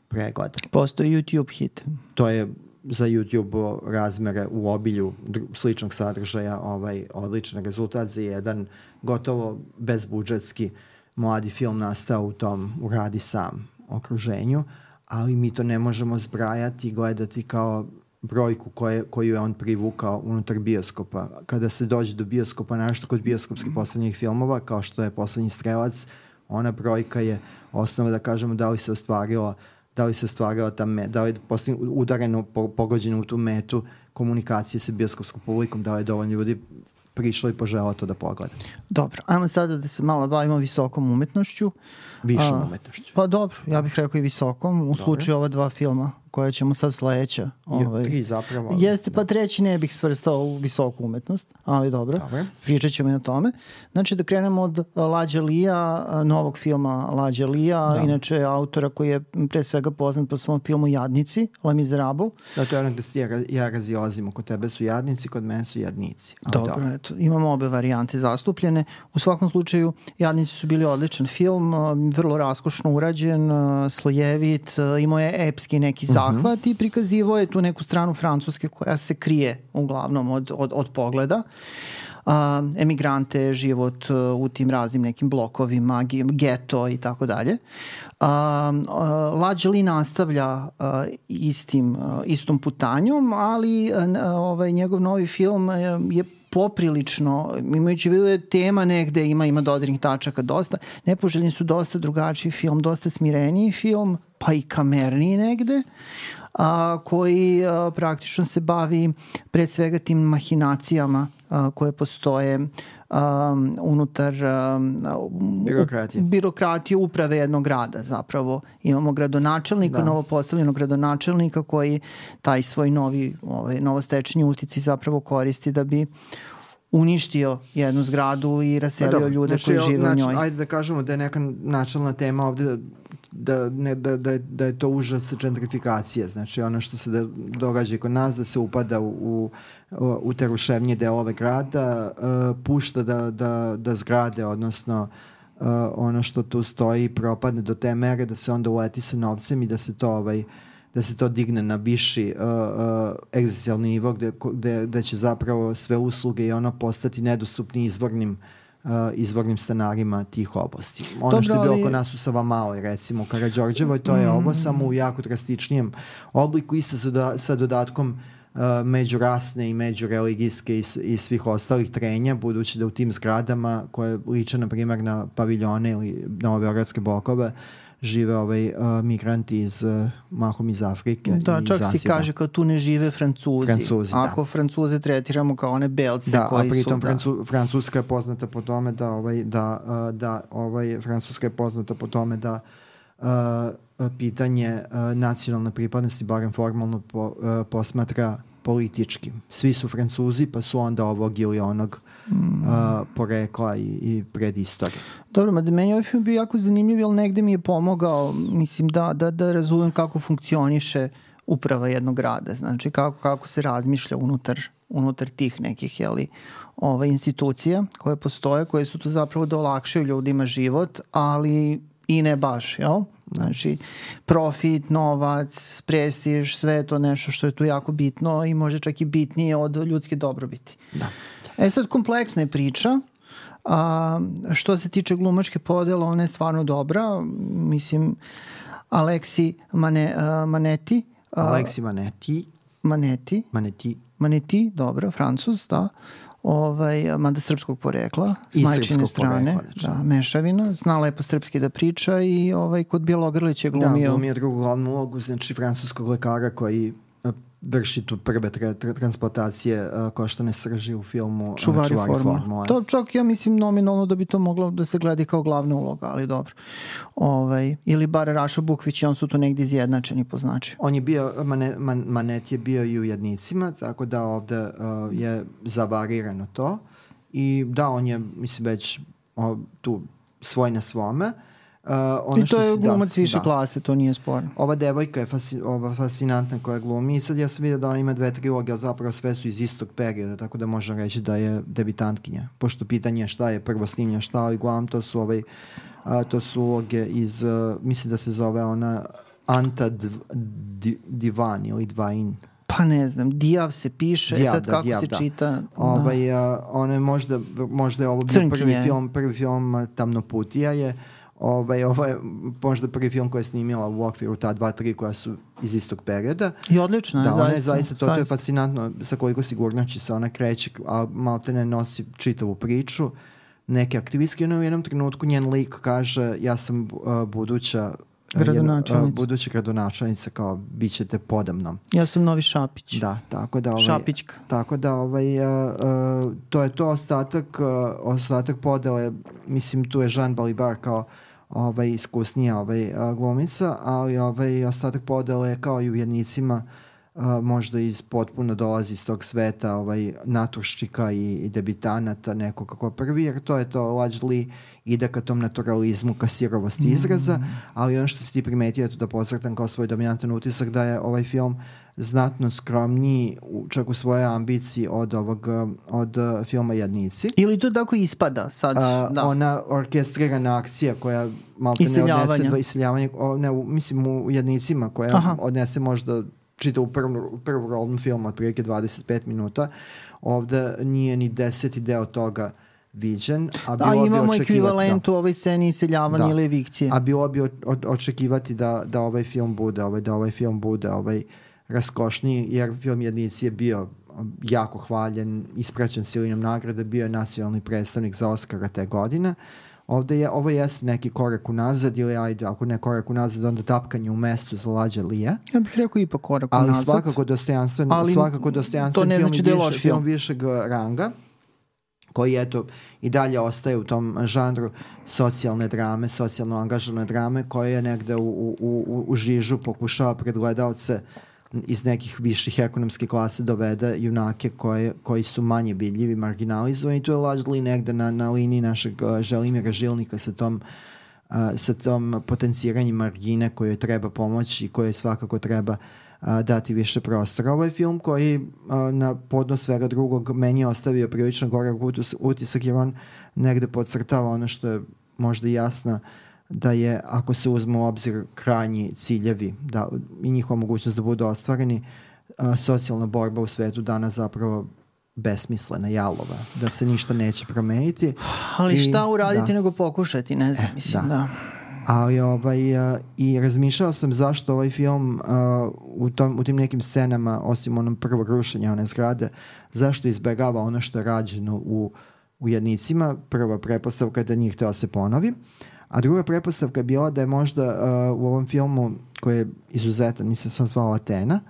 pregleda. Postoji YouTube hit. To je za YouTube razmere u obilju sličnog sadržaja ovaj, odličan rezultat za jedan gotovo bezbudžetski mladi film nastao u tom uradi sam okruženju, ali mi to ne možemo zbrajati i gledati kao brojku koje, koju je on privukao unutar bioskopa. Kada se dođe do bioskopa, našto kod bioskopskih poslednjih filmova, kao što je Poslednji strelac, ona brojka je osnova da kažemo da li se ostvarila da li se ostvarila ta met, da li je udareno, pogođeno u tu metu komunikacije sa bioskopskom publikom, da li je dovoljno ljudi prišlo i poželo to da pogleda. Dobro, ajmo sada da se malo bavimo visokom umetnošću. Višom umetnošću. Pa dobro, ja bih rekao i visokom, u dobro. Slučaju ova dva filma koje ćemo sad sledeća. Ovaj, tri zapravo. Jeste, pa treći ne bih svrstao u visoku umetnost, ali dobro, dobro. Pričat ćemo i o tome. Znači da krenemo od Lađa Lija, novog filma Lađa Lija, da. Inače autora koji je pre svega poznat po svom filmu Jadnici, Les Miserables. Da, to je ono gde ja, ja razilazimo, kod tebe su jadnici, kod mene su jadnici. Ali dobro, dobro, eto, imamo obe varijante zastupljene. U svakom slučaju, Jadnici su bili odličan film, vrlo raskošno urađen, slojevit, imao je epski neki zahvat uh-huh. i prikazivo je tu neku stranu Francuske koja se krije uglavnom od, od, od pogleda. Uh, emigrante, život uh, u tim raznim nekim blokovima, geto i tako dalje. Lađa Li nastavlja uh, istim, uh, istom putanjom, ali uh, ovaj, njegov novi film uh, je poprilično, imajući vidu je tema negde, ima, ima dodirnih tačaka dosta, Nepoželjni su dosta drugačiji film, dosta smireniji film, pa i kamerniji negde, a, koji a, praktično se bavi pre svega tim mahinacijama a, koje postoje a, unutar a, birokratije. U, birokratije uprave jednog grada zapravo. Imamo gradonačelnika, da. Novopostavljenog gradonačelnika koji taj svoj novi, ovaj, novostečeni uticaj zapravo koristi da bi uništio jednu zgradu i raselio da, ljude znači, koji žive znači, u njoj. Ajde da kažemo da je neka načelna tema ovde da, ne, da, da, je, da je to užas gentrifikacije. Znači ono što se da, događa kod nas, da se upada u, u, u te ruševnije delove grada, uh, pušta da, da, da zgrade, odnosno uh, ono što tu stoji propadne do te mere da se onda uleti sa novcem i da se to ovaj da se to digne na viši uh, uh, egzistencijalni nivo gde, gde, gde će zapravo sve usluge i ono postati nedostupni izvornim uh, izvornim stanarima tih oblasti. Ono Dobro, što je bilo ali... oko nas u Savamaloj, recimo u Karađorđevoj, to je mm. ovo samo u jako drastičnijem obliku i sa, doda, sa dodatkom uh, međurasne i međureligijske i, i svih ostalih trenja, budući da u tim zgradama koje liče na primjer na paviljone ili novobeogradske blokove žive ovaj, uh, migranti iz, uh, mahom iz Afrike. Da, i čak Zasiba. si kaže kao tu ne žive Francuzi. Francuzi, Ako da. Francuze tretiramo kao one belce da, koji a pritom su... Francu, Francuska je poznata po tome da, ovaj, da, uh, da ovaj, Francuska je poznata po tome da uh, pitanje uh, nacionalne pripadnosti, barem formalno, po, uh, posmatra politički. Svi su Francuzi, pa su onda ovog ili onog mm. uh, porekla i, i predistorije. Dobro, mada meni ovaj film bio jako zanimljiv, jer negde mi je pomogao, mislim, da, da, da razumem kako funkcioniše uprava jednog grada, znači kako, kako se razmišlja unutar, unutar tih nekih, jeli, ove, institucija koje postoje, koje su tu zapravo da olakšaju ljudima život, ali i ne baš, jel? Znači, profit, novac, prestiž, sve je to nešto što je tu jako bitno i može čak i bitnije od ljudske dobrobiti. Da. E sad, kompleksna je priča. A, što se tiče glumačke podela, ona je stvarno dobra. Mislim, Aleksi Mane, uh, Maneti. Uh, Aleksi Maneti. Maneti. Maneti. Maneti, dobro, Francuz, da. Ovaj, mada srpskog porekla, s majčine strane, porekla, da, mešavina, zna lepo srpski da priča i ovaj, kod Bjelogrlić je glumio... Da, glumio drugu glavnu ulogu, znači francuskog lekara koji vrši tu prve tra, tra, transplantacije uh, koštane srži u filmu Čuvari, Čuvari formula. formula. To čak ja mislim nominalno da bi to moglo da se gleda kao glavna uloga, ali dobro. Ovaj, ili bar Raša Bukvić i on su tu negdje izjednačeni po značaju. On je bio, Mane, Man, Manet je bio i u Jednicima, tako da ovde uh, je zavarirano to i da, on je, mislim, već uh, tu svoj na svome. Uh, ono I to je si, glumac da, više da. klase, to nije sporno. Ova devojka je fasi, ova fascinantna koja glumi i sad ja sam vidio da ona ima dve trilogije, ali zapravo sve su iz istog perioda, tako da možemo reći da je debitantkinja. Pošto pitanje je šta je prvo snimlja šta, ali uglavnom to su ovaj, a, to su uloge iz, uh, mislim da se zove ona Anta Dv, Di, Divan ili Dvain. Pa ne znam, Dijav se piše, Dijav, sad da, kako Dijav, se da. čita. Ovaj, a, ona je možda, možda je ovo bio Crnkinje. prvi film, prvi film a, Tamnoputija je, ovaj, ovo je možda prvi film koji je snimila u okviru ta dva, tri koja su iz istog perioda. I odlično je, da, ona je zaista. zaista, to, to je fascinantno sa koliko sigurnoći se ona kreće, a maltene nosi čitavu priču. Neke aktivistke, ono u jednom trenutku njen lik kaže ja sam uh, buduća gradonačelnica. Uh, buduća gradonačelnica, kao bit ćete podamnom. Ja sam novi Šapić. Da, tako da ovaj, Šapićka. Tako da ovaj, uh, uh, to je to ostatak, uh, ostatak podele, mislim tu je Jean Balibar kao ovaj, iskusnija ovaj, uh, glumica, ali ovaj, ostatak podele je kao i u Jednicima, uh, možda iz potpuno dolazi iz tog sveta ovaj, naturščika i, i debitanata nekog kako prvi, jer to je to largely ide ka tom naturalizmu, ka sirovosti izraza, mm. ali ono što si ti primetio je to da podcrtam kao svoj dominantan utisak da je ovaj film znatno skromniji čak u svojoj ambiciji od ovog od uh, filma Jednici. Ili to tako ispada sad? Uh, da. Ona orkestrirana akcija koja malo ne odnese dva iseljavanja, o, ne, u, mislim u Jednicima koja Aha. odnese možda čita u prvom, prvom rolnom filmu otprilike dvadeset pet minuta. Ovde nije ni deseti deo toga viđen. A da, imamo ekvivalent u ovoj sceni iseljavanja da. ili evikcije. A bilo bi o, o, očekivati da, da ovaj film bude, ovaj, da ovaj film bude ovaj, raskošniji, jer film Jednici je bio jako hvaljen, ispraćen silinom nagrade, bio je nacionalni predstavnik za Oscara te godine. Ovde je, ovo jeste neki korak unazad ili ajde, ako ne korak unazad, onda tapkanje u mestu za Lađa Lije. Ja bih rekao ipak korak ali unazad. Svakako dostojanstven, ali svakako dostojanstven film, znači film, više, film višeg ranga, koji eto i dalje ostaje u tom žanru socijalne drame, socijalno angažovane drame, koje je negde u, u, u, u žižu pokušava pred gledalce iz nekih viših ekonomskih klasa dovede junake koje, koji su manje vidljivi, marginalizovani. To je largely negde na, na liniji našeg uh, Želimira Žilnika sa tom, uh, sa tom potenciranjem margine koje treba pomoći i koje svakako treba uh, dati više prostora. Ovo je film koji uh, na podnos svega drugog meni je ostavio prilično gorak utisak, jer on negde podcrtava ono što je možda jasno, da je, ako se uzme u obzir krajnji ciljevi da, i njihova mogućnost da budu ostvareni, a, socijalna borba u svetu danas zapravo besmislena, jalova, da se ništa neće promeniti. Ali I, šta uraditi da. nego pokušati, ne znam, e, mislim da. da. Ali ovaj, a, i razmišljao sam zašto ovaj film a, u, tom, u tim nekim scenama, osim onom prvog rušenja one zgrade, zašto izbegava ono što je rađeno u, u Jednicima. Prva pretpostavka je da nije hteo se ponovi. A druga pretpostavka je bila da je možda uh, u ovom filmu, koji je izuzetan, mislim se on zvao Atena,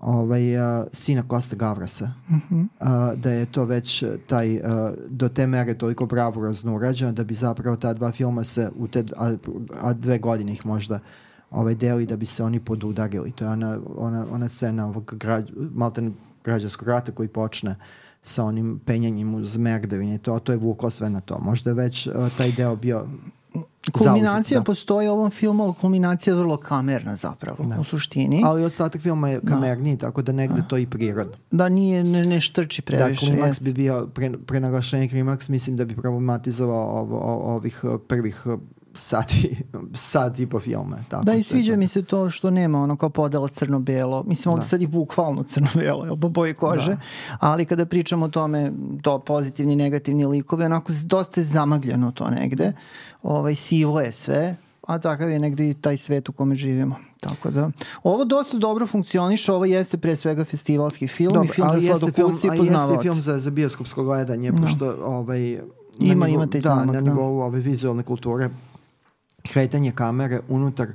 ovaj, uh, sina Kosta Gavrasa, mm-hmm. uh, da je to već taj, uh, do te mere toliko bravurozno urađeno da bi zapravo ta dva filma se u te, a, a dve godine ih možda ovaj, deli da bi se oni podudarili. To je ona, ona, ona scena ovog građ, malten građanskog rata koji počne sa onim penjanjem uz Merdevine. To, to je vuklo sve na to. Možda je već uh, taj deo bio kulminacija zauzet, postoji u ovom filmu, ali kulminacija je vrlo kamerna zapravo, da. U suštini. Ali ostatak filma je kamerniji, da. Tako da negde da. To i prirodno. Da nije, ne, ne štrči previše. Da, klimaks bi bio, pre, prenaglašenje klimaks, mislim da bi problematizovao ov, ov, ovih prvih sati, sat i po filma. Tako, da, i sviđa mi se to što nema ono kao podela crno-belo. Mislim, ovdje sad je bukvalno crno-belo, jel, po boji kože. Da. Ali kada pričamo o tome, to pozitivni, negativni likovi, onako dosta je zamagljeno to negde. Ovaj, sivo je sve, a takav je negde i taj svet u kome živimo. Tako da, ovo dosta dobro funkcioniše, ovo jeste pre svega festivalski film. Dobar, i film za sladokusti i poznavaoci. Jeste film za, za bioskopsko gledanje, no. Pošto ovaj, ima, nivo, ima taj da, zamak, na nivou ove vizualne kulture, kretanje kamere unutar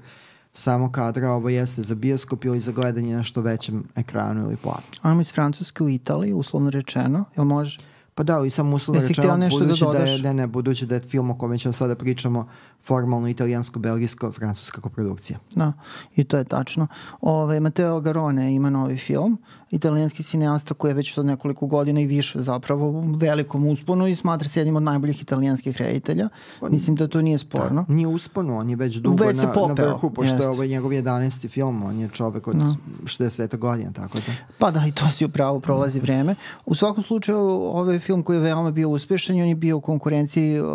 samo kadra, ovo jeste za bioskop ili za gledanje na što većem ekranu ili platu. Ajmo iz Francuske u Italiji, uslovno rečeno, jel može? Pa da, i samo uslovno rečeno, budući da, je, ne, ne, budući da je film o kome ćemo sada pričamo formalno italijansko-belgijsko-francuska koprodukcija. Da, i to je tačno. Ove, Matteo Garrone ima novi film, italijanski cineasta koji je već od nekoliko godina i više zapravo u velikom usponu i smatra se jednim od najboljih italijanskih reditelja. Mislim da to nije sporno. Da, nije usponu, on je već dugo već na, popeo, na vrhu, pošto jest. je ovaj njegov jedanaesti film, on je čovek od no. šezdeset godina, tako da. Pa da, i to si upravo, prolazi vreme. U svakom slučaju, ovaj film koji je veoma bio uspešan, on je bio u konkurenciji uh,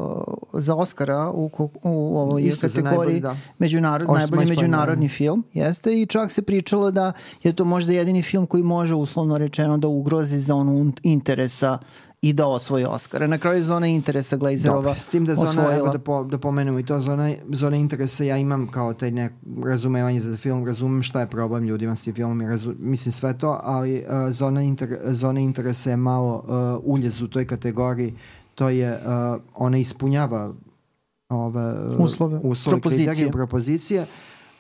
za Oscara u, u ovoj Isto kategoriji najbolji, da. međunarod, najbolji međunarodni film. Jeste, i čak se pričalo da je to možda jedini film koji može uslovno rečeno da ugrozi zonu interesa i da osvoji Oscara. Na kraju zona interesa Glazerova osvojila. S tim da zona, evo da, po, da pomenemo i to, zona, zona interesa, ja imam kao taj nek razumevanje za film, razumem šta je problem ljudima s tim filmom, razum, mislim sve to, ali uh, zona, inter, zona interesa je malo uh, uljez u toj kategoriji, to je, uh, ona ispunjava ove, uh, uslove, uslove propozicije. Kriterije, propozicije,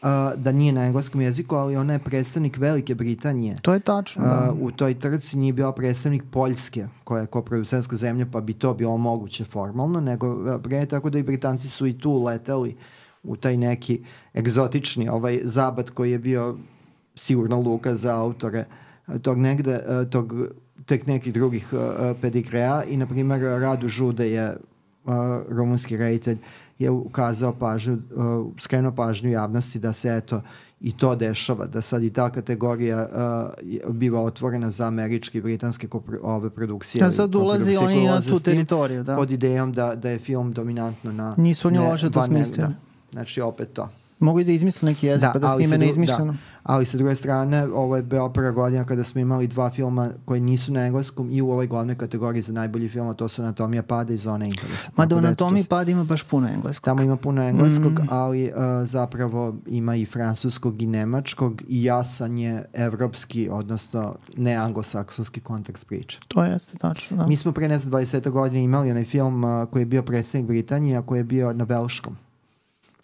Uh, da nije na engleskom jeziku, ali ona je predstavnik Velike Britanije. To je tačno, da. Uh, u toj trci nije bio predstavnik Poljske, koja je koproducentska zemlja, pa bi to bilo moguće formalno, nego pre, tako da i Britanci su i tu leteli u taj neki egzotični ovaj zabat koji je bio sigurno luka za autore tog negde, tog, tek nekih drugih uh, pedigreja i, na primjer, Radu Žude je uh, rumunski reditelj, je ukazao pažnju, uh, skrenuo pažnju javnosti da se eto i to dešava, da sad i ta kategorija uh, biva otvorena za američke i britanske kopro, ove produkcije. A sad ulazi oni na tu teritoriju, da. Pod idejom da, da je film dominantno na... Nisu oni loše to smislili. Znači opet to. Mogu i da izmisle neki jezik, da, pa da snime neizmišljeno. Da, ali sa druge strane, ovo je bila prva godina kada smo imali dva filma koji nisu na engleskom i u ovoj glavnoj kategoriji za najbolji film, a to su Anatomija pada i Zona interesa. Ma da u Anatomiji pada ima baš puno engleskog. Tamo ima puno engleskog, mm. ali uh, zapravo ima i francuskog i nemačkog i jasan je evropski, odnosno ne anglosaksonski kontekst priče. To jeste tačno, da. Mi smo pre ne znam dvadeset godina imali onaj film uh, koji je bio predstavnik Britanije, a koji je bio na velškom.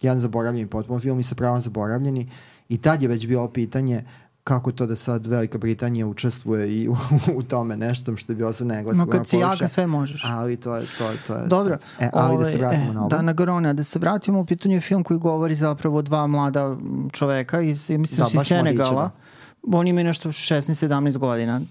Jedan zaboravljeni potpuno film i sa pravom zaboravljeni i tad je već bilo pitanje kako to da sad Velika Britanija učestvuje i u, u tome nešto što je bilo sa engleskog. No kad si jaka sve možeš. Ali to je to. to je, Dobro. E, ali ove, da se vratimo e, na ovo. Da, na Garrone, da se vratimo u pitanju film koji govori zapravo o dva mlada čoveka iz, mislim, da, iz Senegala. Mladića, da. Oni imaju nešto šesnaest sedamnaest godina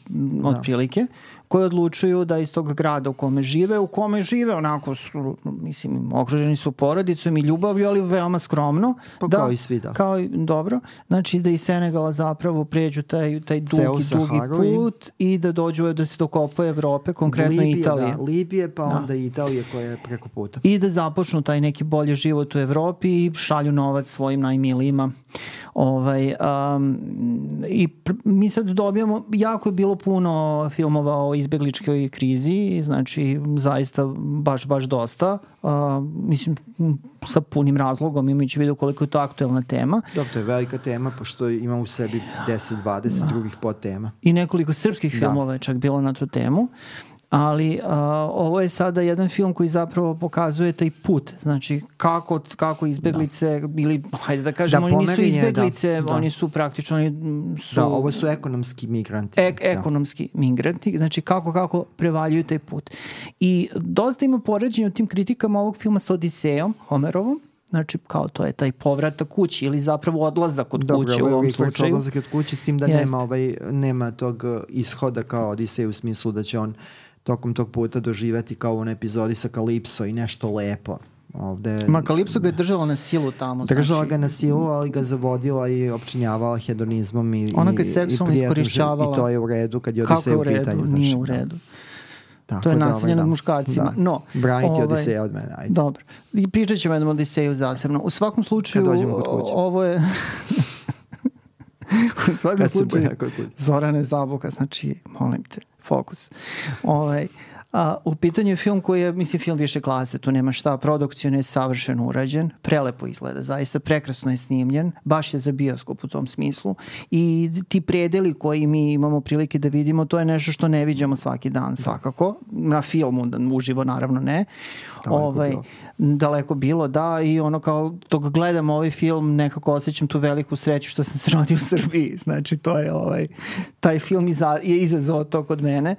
otprilike, koji odlučuju da iz tog grada u kome žive, u kome žive onako su, mislim, okruženi su porodicom i ljubavlju, ali veoma skromno. Pa da, kao i svi, da. Kao i, dobro. Znači da iz Senegala zapravo pređu taj, taj dugi, dugi put i da dođu da se dokopaju Evrope, konkretno Libije, Italije. Da, Libije, pa da. onda Italije koja je preko puta. I da započnu taj neki bolji život u Evropi i šalju novac svojim najmilijima. Ovaj, um, i pr- mi sad dobijamo, jako je bilo puno filmova o izbegličkoj krizi, znači zaista baš, baš dosta. Uh, mislim, sa punim razlogom, imajući vidio koliko je to aktuelna tema. Dobro, to je velika tema, pošto ima u sebi deset dvadeset da. drugih podtema. I nekoliko srpskih da. filmova je čak bilo na tu temu. Ali uh, ovo je sada jedan film koji zapravo pokazuje taj put, znači kako, kako izbeglice da. ili, hajde da kažemo, da, oni nisu izbeglice, da, oni su praktično oni su... Da, ovo su ekonomski migranti. Ek, ekonomski da. migranti, znači kako, kako prevaljuju taj put. I dosta ima poređenja u tim kritikama ovog filma sa Odisejom, Homerovom, znači kao to je taj povratak kući ili zapravo odlazak od Dobro, kuće u ovom slučaju. Odlazak od kuće s tim da nema, ovaj, nema tog ishoda kao Odisej u smislu da će on tokom tog puta doživeti kao u onoj epizodi sa Kalipso i nešto lepo. Ovde, Ma Kalipso ga je držala na silu tamo. Držala znači, ga na silu, ali ga zavodila i opčinjavala hedonizmom i, ona ga je seksualno iskorišćavala. I to je u redu kad je Odisej u pitanju. Kako je u redu? Nije u redu. Tako to je da, nasilje ovaj, nad da. muškarcima. Da. No, braniti ovaj, Odiseja od mene. Ajde. Dobro. I pričat ćemo jednom Odiseju zasebno. U svakom slučaju ovo je... u svakom slučaju Zorane Zabuka, znači, molim te, fokus. Ovaj... A, u pitanju je film koji je, mislim, film više klase, tu nema šta, produkcijno je savršeno urađen, prelepo izgleda, zaista prekrasno je snimljen, baš je za bioskop u tom smislu i ti predeli koji mi imamo prilike da vidimo, to je nešto što ne viđamo svaki dan svakako, na filmu, uživo naravno ne, daleko ovaj, bilo. daleko bilo, da, i ono kao dok gledam ovaj film nekako osjećam tu veliku sreću što sam se rodio u Srbiji, znači to je ovaj, taj film iza, je izazvao to kod mene.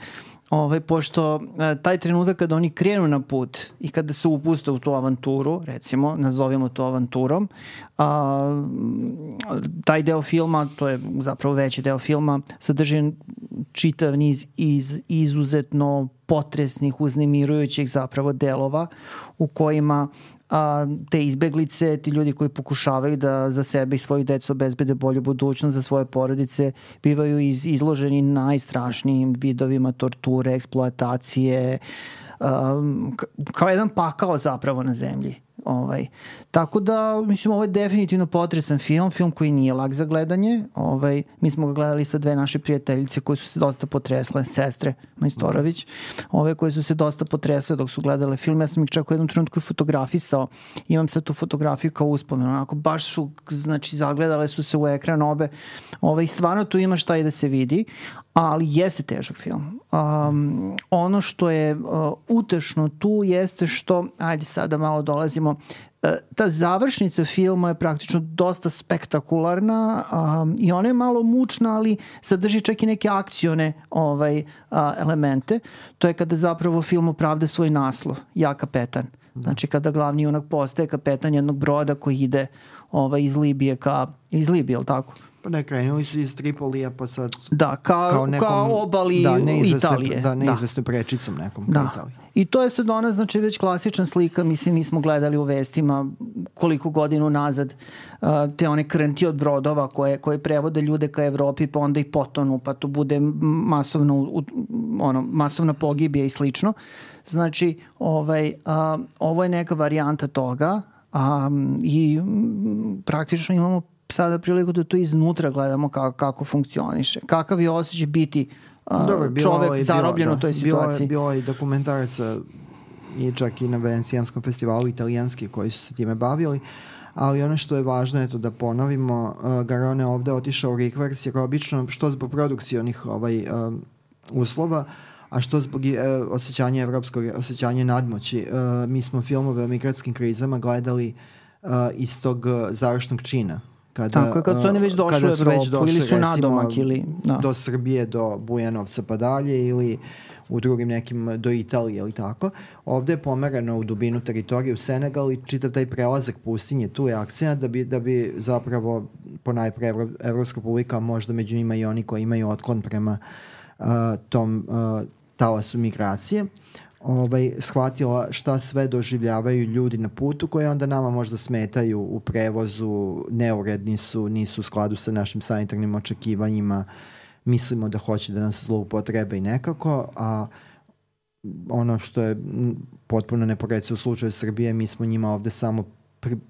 ovaj, pošto e, taj trenutak kada oni krenu na put i kada se upuste u tu avanturu, recimo, nazovimo to avanturom, a, taj deo filma, to je zapravo veći deo filma, sadrži čitav niz iz, izuzetno potresnih, uznemirujućih zapravo delova u kojima a, te izbeglice, ti ljudi koji pokušavaju da za sebe i svoju decu obezbede bolju budućnost za svoje porodice, bivaju iz, izloženi najstrašnijim vidovima torture, eksploatacije, um, kao jedan pakao zapravo na zemlji. Ovaj. Tako da, mislim, ovo je definitivno potresan film, film koji nije lak za gledanje. Ovaj, mi smo ga gledali sa dve naše prijateljice koje su se dosta potresle, sestre Majstorović, ove koje su se dosta potresle dok su gledale film. Ja sam ih čak u jednom trenutku fotografisao, imam sad tu fotografiju kao uspomenu, onako baš su, znači, zagledale su se u ekran obe. Ovaj, stvarno tu ima šta i da se vidi, ali jeste težak film. Um, ono što je uh, utešno tu jeste što, ajde sada malo dolazimo, uh, ta završnica filma je praktično dosta spektakularna um, i ona je malo mučna, ali sadrži čak i neke akcione ovaj, uh, elemente. To je kada zapravo film opravda svoj naslov, Ja kapetan. Znači kada glavni junak postaje kapetan jednog broda koji ide ovaj, iz Libije ka, iz Libije, je li tako? Pa ne, krenuli su iz Tripolija, pa sad... Da, ka, kao, nekom, kao obali da, Italije. Da, neizvesno da. Prečicom nekom da. Ka Italiji. I to je sad ona, znači, već klasična slika. Mislim, mi smo gledali u vestima koliko godinu nazad uh, te one krnti od brodova koje, koje prevode ljude ka Evropi, pa onda i potonu, pa tu bude masovno, u, ono, masovna pogibija i slično. Znači, ovaj, uh, ovo je neka varijanta toga um, i um, praktično imamo sada priliku da to iznutra gledamo kako, kako funkcioniše. Kakav je osjećaj biti uh, Dobar, čovek je, zarobljen u toj situaciji. Bilo je dokumentaraca i čak i na Venecijanskom festivalu italijanski koji su se time bavili, ali ono što je važno je to da ponovimo, uh, Garone ovde otišao u rikvers jer obično što zbog produkcionih ovaj, uh, uslova, a što zbog uh, osjećanja evropskog, osjećanja nadmoći. Uh, mi smo filmove o migratskim krizama gledali uh, iz tog uh, završnog čina. Kada, Tako je, kad su oni već došli u Evropu došli, ili su nadomak ili... Da. Do Srbije, do Bujanovca pa dalje ili u drugim nekim do Italije ili tako. Ovde je pomerano u dubinu teritorije u Senegal i čitav taj prelazak pustinje, tu je akcija da bi, da bi zapravo ponajpre Evro, evropska publika, možda među njima i oni koji imaju otklon prema uh, tom uh, talasu migracije, ovaj, shvatila šta sve doživljavaju ljudi na putu koje onda nama možda smetaju u prevozu, neuredni su, nisu u skladu sa našim sanitarnim očekivanjima, mislimo da hoće da nas zloupotrebe i nekako, a ono što je potpuno neporecivo u slučaju Srbije, mi smo njima ovde samo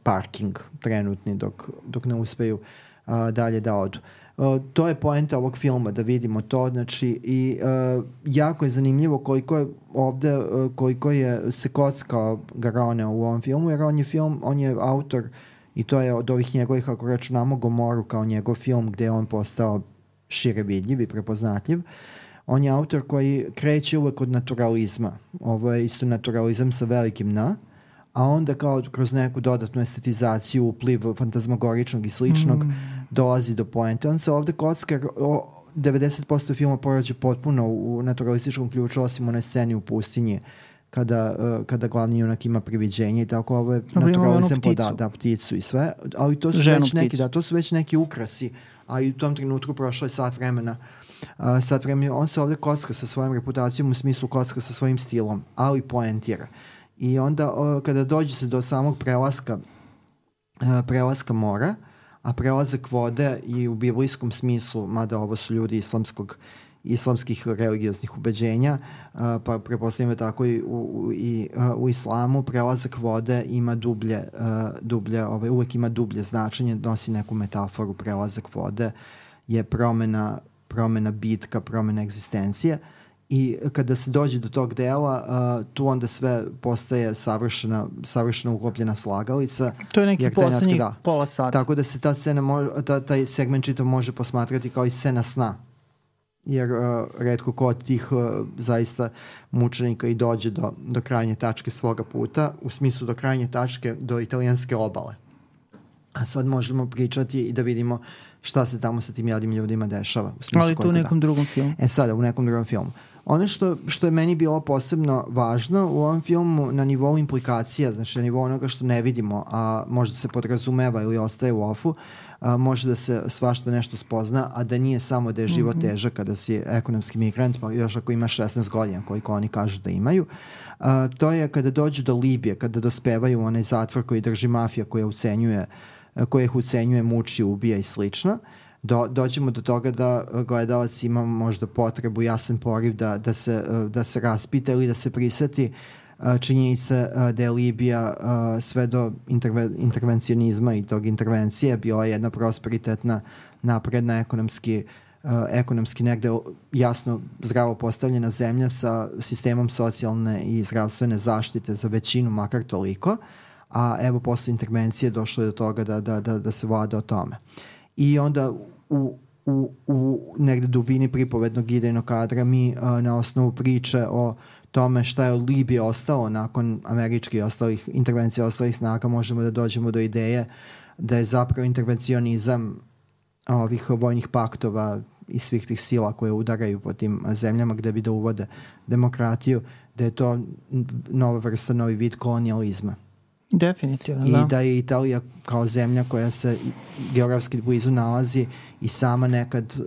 parking trenutni dok, dok ne uspeju a, dalje da odu. Uh, to je poenta ovog filma, da vidimo to, znači i uh, jako je zanimljivo koliko je ovde, uh, koliko je se kockao Garone u ovom filmu, jer on je film, on je autor i to je od ovih njegovih, ako računamo Gomoru kao njegov film gde je on postao šire vidljiv i prepoznatljiv. On je autor koji kreće uvek od naturalizma. Ovo je isto naturalizam sa velikim N, a onda kao kroz neku dodatnu estetizaciju, upliv fantazmagoričnog i sličnog, mm. dolazi do poente. On se ovde kocka, devedeset posto filma porađe potpuno u naturalističkom ključu, osim one sceni u pustinji, kada, uh, kada glavni junak ima priviđenje i tako, ovo je naturalizam po da, da, pticu i sve, ali to su Ženu već neki, da, to su već neki ukrasi, a i u tom trenutku prošlo je sat vremena. Uh, sat vremena, on se ovde kocka sa svojom reputacijom, u smislu kocka sa svojim stilom, ali poentira. I onda o, kada dođe se do samog prelaska uh, prelaska mora, a prelazak vode i u biblijskom smislu, mada ovo su ljudi islamskog, islamskih religioznih ubeđenja, uh, pa prepostavljamo tako i u, u, i, uh, u islamu, prelazak vode ima dublje, uh, dublje ovaj, uvek ima dublje značenje, nosi neku metaforu. Prelazak vode je promena, promena bitka, promena egzistencije. I kada se dođe do tog dela, uh, tu onda sve postaje savršena, savršeno uklopljena slagalica. To je neki poslednjih da. pola sata. Tako da se ta scena, može, ta, taj segment čitav može posmatrati kao i scena sna. Jer uh, retko ko od tih uh, zaista mučenika i dođe do, do krajnje tačke svoga puta, u smislu do krajnje tačke do italijanske obale. A sad možemo pričati i da vidimo šta se tamo sa tim jadnim ljudima dešava. U Ali tu u nekom da. drugom filmu. E sada, u nekom drugom filmu. Ono što, što je meni bilo posebno važno u ovom filmu na nivou implikacija, znači na nivou onoga što ne vidimo, a možda se podrazumeva ili ostaje u ofu, a, može da se svašta nešto spozna, a da nije samo da je život mm-hmm. težak kada si ekonomski migrant, pa još ako imaš šesnaest godina, koliko oni kažu da imaju. A, to je kada dođu do Libije, kada dospevaju u onaj zatvor koji drži mafija, koja ucenjuje, koja ih ucenjuje, muči, ubija i slično. Do, dođemo do toga da gledalac ima možda potrebu, jasan poriv da, da, se, da se raspita ili da se priseti činjenice da je Libija sve do interve, intervencionizma i tog intervencije bila jedna prosperitetna, napredna, ekonomski, ekonomski negde jasno zdravo postavljena zemlja sa sistemom socijalne i zdravstvene zaštite za većinu, makar toliko, a evo posle intervencije došlo je do toga da, da, da, da se vlada o tome. I onda u, u, u negde dubini pripovednog idejnog kadra mi a, na osnovu priče o tome šta je od Libije ostalo nakon američkih ostalih intervencija ostalih snaga možemo da dođemo do ideje da je zapravo intervencionizam ovih vojnih paktova i svih tih sila koje udaraju po tim zemljama gde bi da uvode demokratiju, da je to nova vrsta, novi vid kolonijalizma. Definitivno, I da. da je Italija kao zemlja koja se geografski blizu nalazi i sama nekad uh,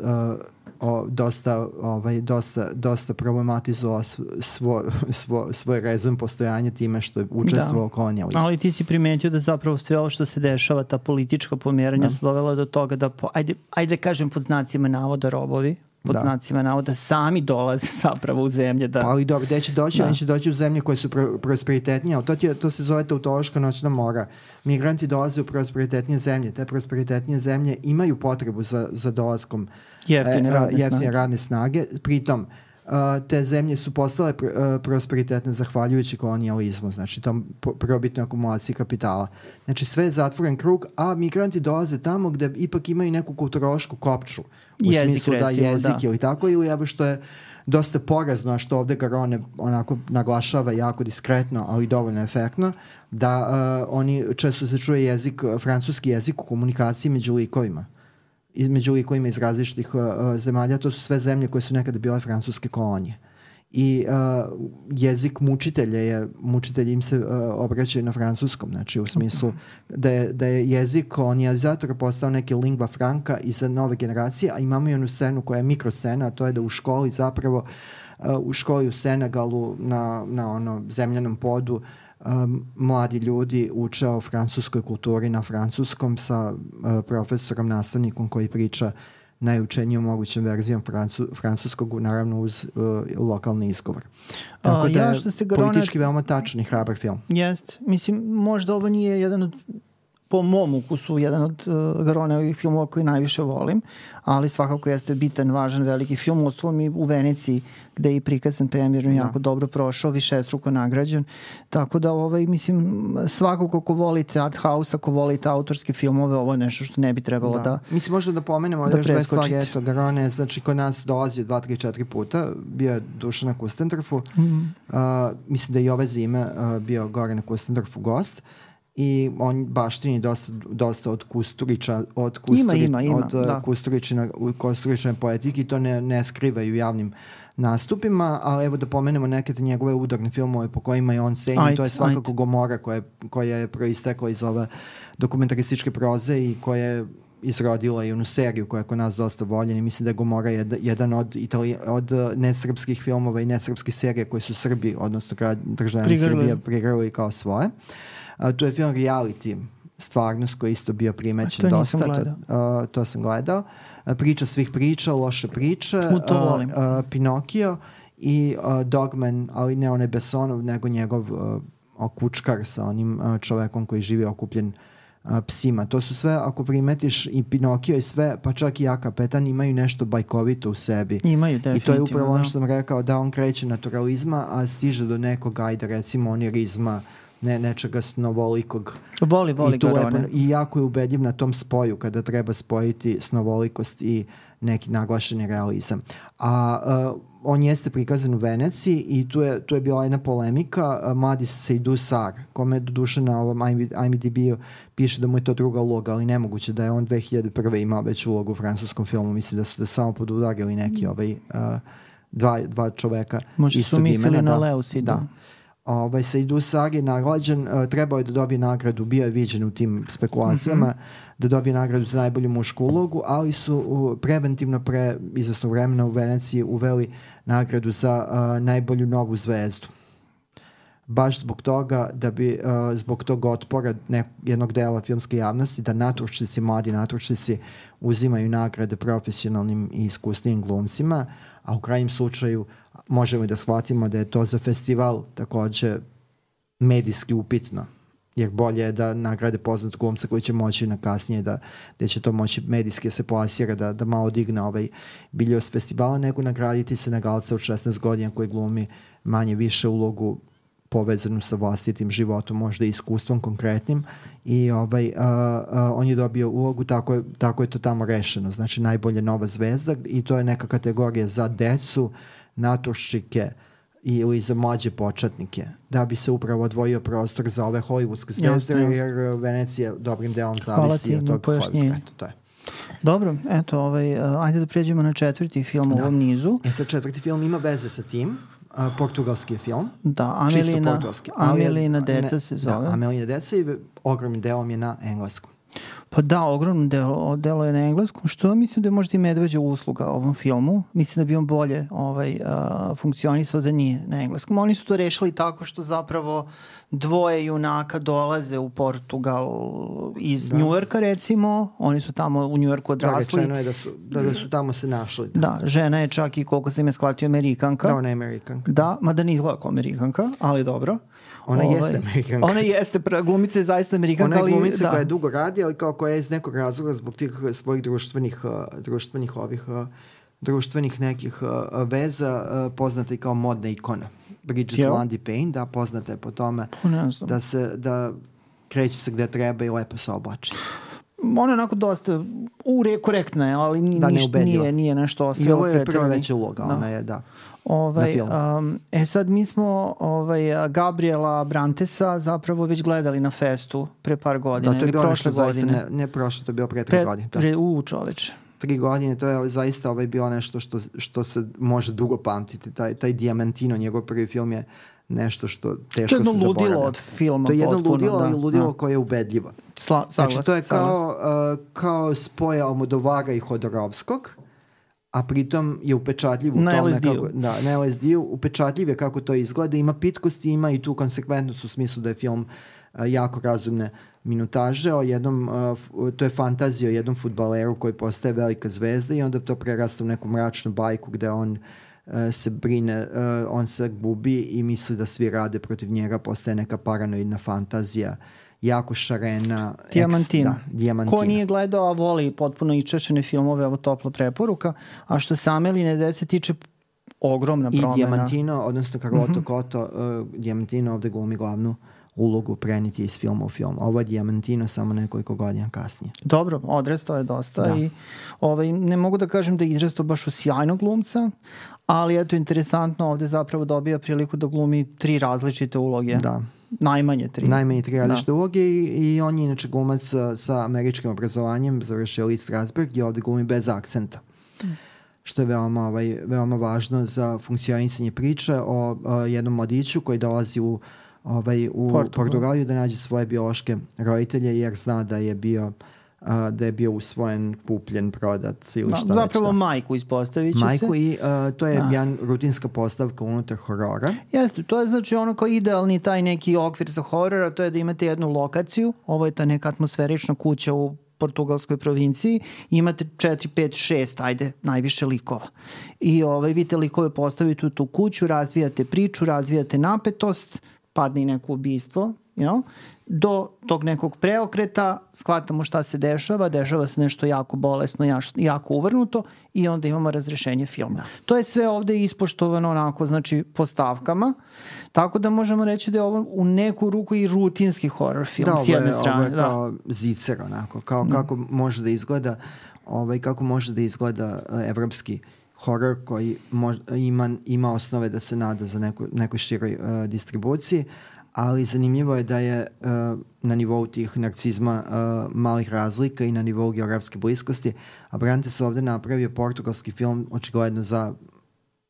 o, dosta, ovaj, dosta, dosta problematizovala svo, svo, svoj rezon postojanja time što je učestvovao u kolonijalizmu. Ali ti si primetio da zapravo sve ovo što se dešava, ta politička pomjeranja da. su dovela do toga da, po, ajde, ajde kažem pod znacima navoda robovi, pod da. znacima navoda sami dolaze zapravo u zemlje. Da... Pa ali dobro, gde će doći? Da. Oni će doći u zemlje koje su pro, prosperitetnije. To, je, to se zove tautološka noćna mora. Migranti dolaze u prosperitetnije zemlje. Te prosperitetnije zemlje imaju potrebu za, za dolaskom jeftine radne, jeftine radne snage. Pritom, uh, te zemlje su postale pr, uh, prosperitetne zahvaljujući kolonijalizmu, znači tom prvobitnoj akumulaciji kapitala. Znači sve je zatvoren krug, a migranti dolaze tamo gde ipak imaju neku kulturološku kopču. U jezik, smislu da recimo, jezik da. ili tako, ili evo što je dosta porazno, a što ovde Garone onako naglašava jako diskretno, ali dovoljno efektno, da uh, oni često se čuje jezik, francuski jezik u komunikaciji među likovima. Među likovima iz različitih uh, zemalja, to su sve zemlje koje su nekada bile francuske kolonije. I uh, jezik mučitelja je, mučitelji im se uh, obraćaju na francuskom, znači u smislu da je, da je jezik kolonizatora postao neki lingua franca i za nove generacije, a imamo i onu scenu koja je mikroscena, a to je da u školi zapravo, uh, u školi u Senegalu na, na ono zemljanom podu um, mladi ljudi uče o francuskoj kulturi na francuskom sa uh, profesorom, nastavnikom koji priča najučenijom mogućem verzijom francu, francuskog, naravno uz uh, lokalni izgovor. Tako A, da ja je politički veoma tačan i hrabar film. Jest. Mislim, možda ovo nije jedan od, po mom ukusu, jedan od uh, Garoneovih filmova koji najviše volim, ali svakako jeste bitan, važan, veliki film. Uostalom i u Veneciji, gde je i prikazan premijerno, jako da. dobro prošao, višestruko nagrađen. Tako da, ovaj, mislim, svakako ko volite art house, ako volite autorske filmove, ovo je nešto što ne bi trebalo da, da mislim, možda da pomenemo da još dve stvari. Eto, Garone, znači, kod nas dolazi dva, tri, četiri puta. Bio je Dušan na Kustendorfu. Mm. Uh, mislim da i ove zime uh, bio gore na Kustendorfu gost. I on baštini dosta, dosta od Kusturića, od, Kusturi, ima, ima, ima, od da. Kusturičine, Kusturičine poetike i to ne, ne skrivaju javnim nastupima, ali evo da pomenemo neke te njegove udarne filmove po kojima je on cenjen, to je svakako ajde. Gomora koja je, koja je proistekla iz ove dokumentarističke proze i koja je izrodila i onu seriju koja je kod nas dosta voljena i mislim da je Gomora jed, jedan od, Itali, od nesrpskih filmova i nesrpskih serija koje su Srbi, odnosno državljani Srbije prigrali kao svoje. Uh, tu je film Reality, stvarnost koji je isto bio primećen dosta. To, uh, to sam gledao. Uh, priča svih priča, loše priče. U to volim. Uh, uh, Pinokio i uh, Dogman, ali ne onaj Besonov, nego njegov uh, okučkar sa onim uh, čovekom koji živi okupljen uh, psima. To su sve, ako primetiš, i Pinokio i sve, pa čak i Ja kapetan, imaju nešto bajkovito u sebi. Imaju, definitivno. I to je upravo ono što sam rekao, da on kreće naturalizma, a stiže do nekog, ajde, recimo, onirizma, ne, nečega snovolikog. Voli, voli I Garone. Lepo, i jako je ubedljiv na tom spoju kada treba spojiti snovolikost i neki naglašeni realizam. A uh, on jeste prikazan u Veneciji i tu je, tu je bila jedna polemika. Uh, mladi Seydou Sarr, kome do duše na ovom I M D B-u piše da mu je to druga uloga, ali nemoguće da je on dve hiljade prve imao već ulogu u francuskom filmu. Mislim da su da samo podudarili neki ovaj uh, dva, dva čoveka Možda istog su mislili imena. na Da, Leusidu. da. Ovaj, Seydou Sarr je nagrađen, uh, trebao je da dobije nagradu, bio je viđen u tim spekulacijama, mm-hmm. da dobije nagradu za najbolju mušku ulogu, ali su uh, preventivno pre izvesnog vremena u Veneciji uveli nagradu za uh, najbolju novu zvezdu. Baš zbog toga da bi, uh, zbog tog otpora nek, jednog dela filmske javnosti, da natučnici, mladi natučnici uzimaju nagrade profesionalnim i iskusnim glumcima, a u krajnjem slučaju možemo i da shvatimo da je to za festival takođe medijski upitno, jer bolje je da nagrade poznat glumca koji će moći na kasnije da, da će to moći medijski se plasira, da, da malo digne ovaj biljos festivala, nego nagraditi se na galca od šesnaest godina koji glumi manje više ulogu povezanu sa vlastitim životom, možda i iskustvom konkretnim, i ovaj, a, a, on je dobio ulogu, tako je, tako je to tamo rešeno, znači najbolja nova zvezda, i to je neka kategorija za decu, naturščike ili za mlađe početnike, da bi se upravo odvojio prostor za ove hollywoodske zvezde, jasne, jer Venecija dobrim delom zavisi od tog Hollywooda. To je. Dobro, eto, ovaj, ajde da pređemo na četvrti film u da. ovom nizu. E sad, četvrti film ima veze sa tim. Uh, portugalski je film. Da, Amelina, Amelina deca ne, se zove. Da, Amelina deca i ogromnim delom je na engleskom. Pa da, ogromno delo, delo je na engleskom, što mislim da je možda i medveđa usluga ovom filmu. Mislim da bi on bolje ovaj, uh, funkcionisao da nije na engleskom. Oni su to rešili tako što zapravo dvoje junaka dolaze u Portugal iz da. Njujorka, recimo. Oni su tamo u Njujorku odrasli. Da, rečeno je da su, da, da su tamo se našli. Da. da, žena je čak i, koliko sam je shvatio, Amerikanka. Da, ona je Amerikanka. Da, mada ne izgleda kao Amerikanka, ali dobro. Ona ovaj, jeste Amerikanka. Ona jeste, glumica je zaista Amerikanka. Ona je glumica ali, da. koja je dugo radi, ali kao koja je iz nekog razloga zbog tih svojih društvenih, društvenih ovih, društvenih nekih veza poznata i kao modna ikona. Bridget Jel? Lundy Payne, da, poznata je po tome da se, da kreće se gde treba i lepo se oblači. Ona je onako dosta ure, korektna je, ali ni, da, ništa, nije, nije nešto ostalo. I ovo je prva veća uloga, da. Ona je, da. Ovaj, um, e sad mi smo ovaj, Gabriela Brantesa zapravo već gledali na festu pre par godina. Da, to je bilo prošle nešto godine. zaista, ne, ne prošle, to je bilo pre tri pre, godine. Da. Pre, u čoveče. Tri godine, to je zaista ovaj bilo nešto što, što se može dugo pamtiti. Taj, taj Diamantino, njegov prvi film je nešto što teško se zaboravlja. To je jedno ludilo od filma. To je jedno potpuno, ludilo, ali da, ludilo da. koje je ubedljivo. Sla, saglas, znači, to je kao, uh, kao spoja Almodovara i Hodorovskog, a pritom je upečatljiv u na tome L S D-u. kako, da, na L S D-u, upečatljiv je kako to izgleda, ima pitkosti, ima i tu konsekventnost u smislu da je film uh, jako razumne minutaže o jednom, uh, to je fantazija o jednom fudbaleru koji postaje velika zvezda i onda to prerasta u neku mračnu bajku gde on uh, se brine, uh, on se gubi i misli da svi rade protiv njega, postaje neka paranoidna fantazija, jako šarena. Diamantina. Eks, da, Diamantina. Ko nije gledao, a voli potpuno iščešene filmove, ovo topla preporuka, a što se Ameline dece tiče, ogromna promena. I Diamantino, odnosno Carlotto mm-hmm. Cotto, uh, Diamantino ovde glumi glavnu ulogu preniti iz filma u film. Ovo je Diamantino samo nekoliko godina kasnije. Dobro, odrastao je dosta da. i ovaj, ne mogu da kažem da je izrastao baš u sjajnog glumca, ali eto, interesantno, ovde zapravo dobija priliku da glumi tri različite uloge. Da. Najmanje tri. Najmanje tri različite uloge i, i on je inače glumac sa, sa američkim obrazovanjem, završio Lee Strasberg i ovde glumi bez akcenta. Mm. Što je veoma, ovaj, veoma važno za funkcionisanje priče o, o jednom mladiću koji dolazi u ovaj, u Portugal. Portugaliju da nađe svoje biološke roditelje jer zna da je bio uh, da je bio usvojen, kupljen, prodat ili šta već. Zapravo da. majku ispostavit će majku se. i uh, to je da. jedan rutinska postavka unutar horora. Jeste, to je znači ono kao idealni taj neki okvir za horor, a to je da imate jednu lokaciju, ovo je ta neka atmosferična kuća u portugalskoj provinciji, imate četiri, pet, šest, ajde, najviše likova. I ovaj, vi te likove postavite u tu kuću, razvijate priču, razvijate napetost, padne i neko ubistvo, jel? Do tog nekog preokreta shvatamo šta se dešava, dešava se nešto jako bolesno, jako uvrnuto i onda imamo razrešenje filma. Da. To je sve ovde ispoštovano onako, znači po stavkama, tako da možemo reći da je ovo u neku ruku i rutinski horror film da, s jedne je, strane. Da, ovo je kao zicer onako, kao da. kako može da izgleda ovaj, kako može da izgleda uh, evropski horor koji mož, ima, ima osnove da se nada za neku, nekoj široj uh, distribuciji, ali zanimljivo je da je uh, na nivou tih narcizma uh, malih razlika i na nivou geografske bliskosti, a Brantes ovde napravio portugalski film očigledno za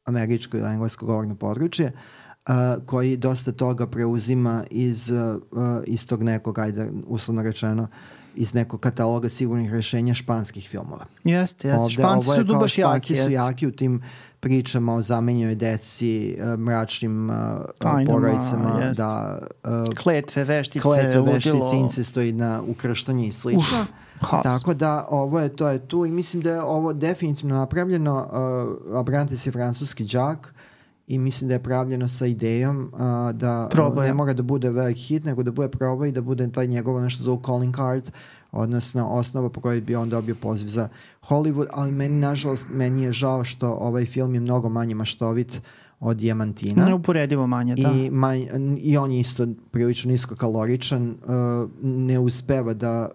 američko ili englesko govorno područje, uh, koji dosta toga preuzima iz, uh, iz tog nekog, ajde, uslovno rečeno, iz nekog kataloga sigurnih rešenja španskih filmova. Jeste, jeste. Španci su tu baš jaki. Španci su jaki u tim pričama o zamenjenoj deci, mračnim uh, porodicama, da, uh, kletve, veštice, kletve, veštice, ludilo, incestoidna ukrštanje i slično. Uf, tako da ovo je, to je tu i mislim da je ovo definitivno napravljeno. uh, Abrantes je francuski đak i mislim da je pravljeno sa idejom uh, da uh, ne mora da bude veliki hit, nego da bude probaj i da bude taj njegovo nešto zove calling card, odnosno osnova po kojoj bi on dobio poziv za Hollywood, ali meni, nažalost, meni je žao što ovaj film je mnogo manje maštovit od Diamantina. Neuporedivo manje, da. I, manj, i on je isto prilično niskokaloričan, uh, ne uspeva da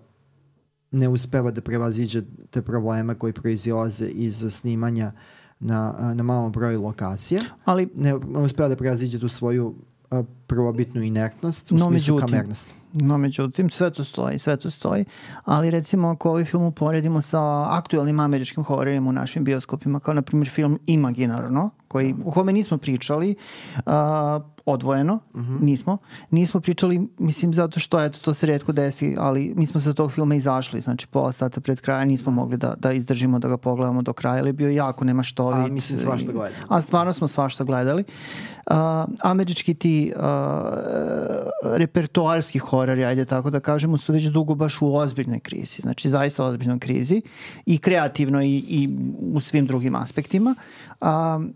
ne uspeva da prevaziđe te probleme koji proizilaze iz snimanja na, na malom broju lokacija. Ali ne, ne uspeva da prevaziđe tu svoju uh, prvobitnu inertnost u no, smislu međutim, kamernosti. No, međutim, sve to stoji, sve to stoji, ali recimo ako ovaj film uporedimo sa aktuelnim američkim hororima u našim bioskopima, kao na primjer film Imaginarno, koji, o kome nismo pričali uh, odvojeno, uh-huh. nismo, nismo pričali, mislim, zato što eto, to se retko desi, ali mi smo sa tog filma izašli, znači pola sata pred kraja nismo mogli da, da izdržimo da ga pogledamo do kraja, ali je bio jako nemaštovit. A mislim svašta gledali. A stvarno smo svašta gledali. Uh, američki ti uh, repertoarski horori, ajde tako da kažemo, su već dugo baš u ozbiljnoj krizi, znači zaista ozbiljnoj krizi i kreativno i, i u svim drugim aspektima, uh,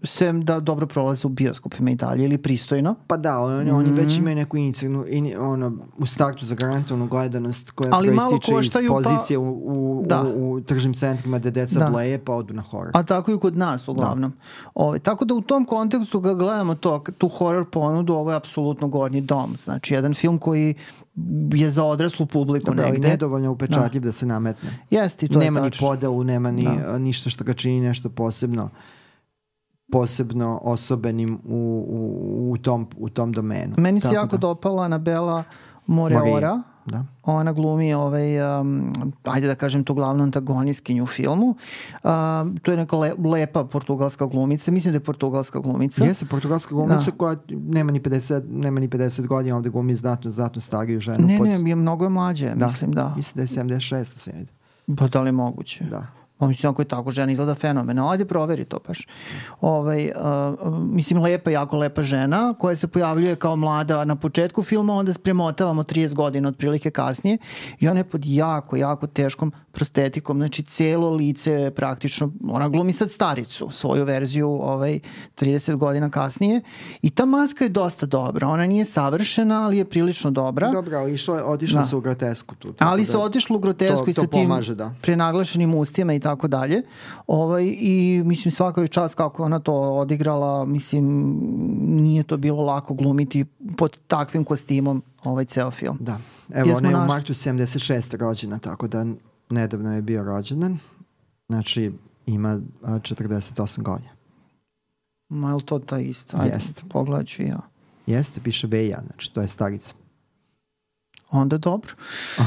sem da dobro prolaze u bioskopima i dalje ili pristojno. Pa da, oni, oni mm-hmm. već imaju neku inicijalnu, in, ono, u startu zagarantovanu gledanost koja ali proističe iz pozicije pa, u, u, u, u tržnim centrima gde deca da. bleje pa odu na horor. A tako i kod nas uglavnom. Ove, tako da u tom kontekstu ga gledamo to, tu horor ponudu, ovo je apsolutno gornji dom. Znači jedan film koji je za odraslu publiku Dobre, negde. Ali nedovoljno upečatljiv da. da se nametne. Jeste i to nema je ni podelu, nema ni da. ništa što ga čini nešto posebno posebno osobenim u, u, u, tom, u tom domenu. Meni se jako da. dopala Anabela Moreora. Da. Ona glumi ovaj, um, ajde da kažem tu glavnu antagonistkinju u filmu. Uh, to je neka le, lepa portugalska glumica. Mislim da je portugalska glumica. Jeste, portugalska glumica da. koja nema ni pedeset, nema ni pedeset godina, ovde glumi znatno, znatno stariju ženu. Ne, pod... ne, je mnogo je mlađe, da. mislim da. Mislim da je sedamdeset šest se vidi. Pa da li je moguće? Da. Pa mislim, ako je tako, žena izgleda fenomenalno. Ajde, proveri to baš. Ovaj, uh, mislim, lepa, jako lepa žena koja se pojavljuje kao mlada na početku filma, onda spremotavamo trideset godina otprilike kasnije i ona je pod jako, jako teškom prostetikom. Znači, celo lice je praktično, ona glumi sad staricu, svoju verziju ovaj, trideset godina kasnije i ta maska je dosta dobra. Ona nije savršena, ali je prilično dobra. Dobra, ali išlo je, otišlo da. se u grotesku tu. Ali se otišlo u grotesku to, i sa to tim pomaže, da. prenaglašenim ustima i tako dalje. Ovaj, i mislim svaka je čast kako ona to odigrala, mislim nije to bilo lako glumiti pod takvim kostimom ovaj ceo film. Da. Evo, ona je naš... u martu sedamdeset šeste rođena, tako da nedavno je bio rođendan. Znači ima četrdeset osam godina. Ma je li to ta ista? Ajde, Jeste. Pogledat ću ja. Jeste, piše Veja, znači to je starica. Onda dobro.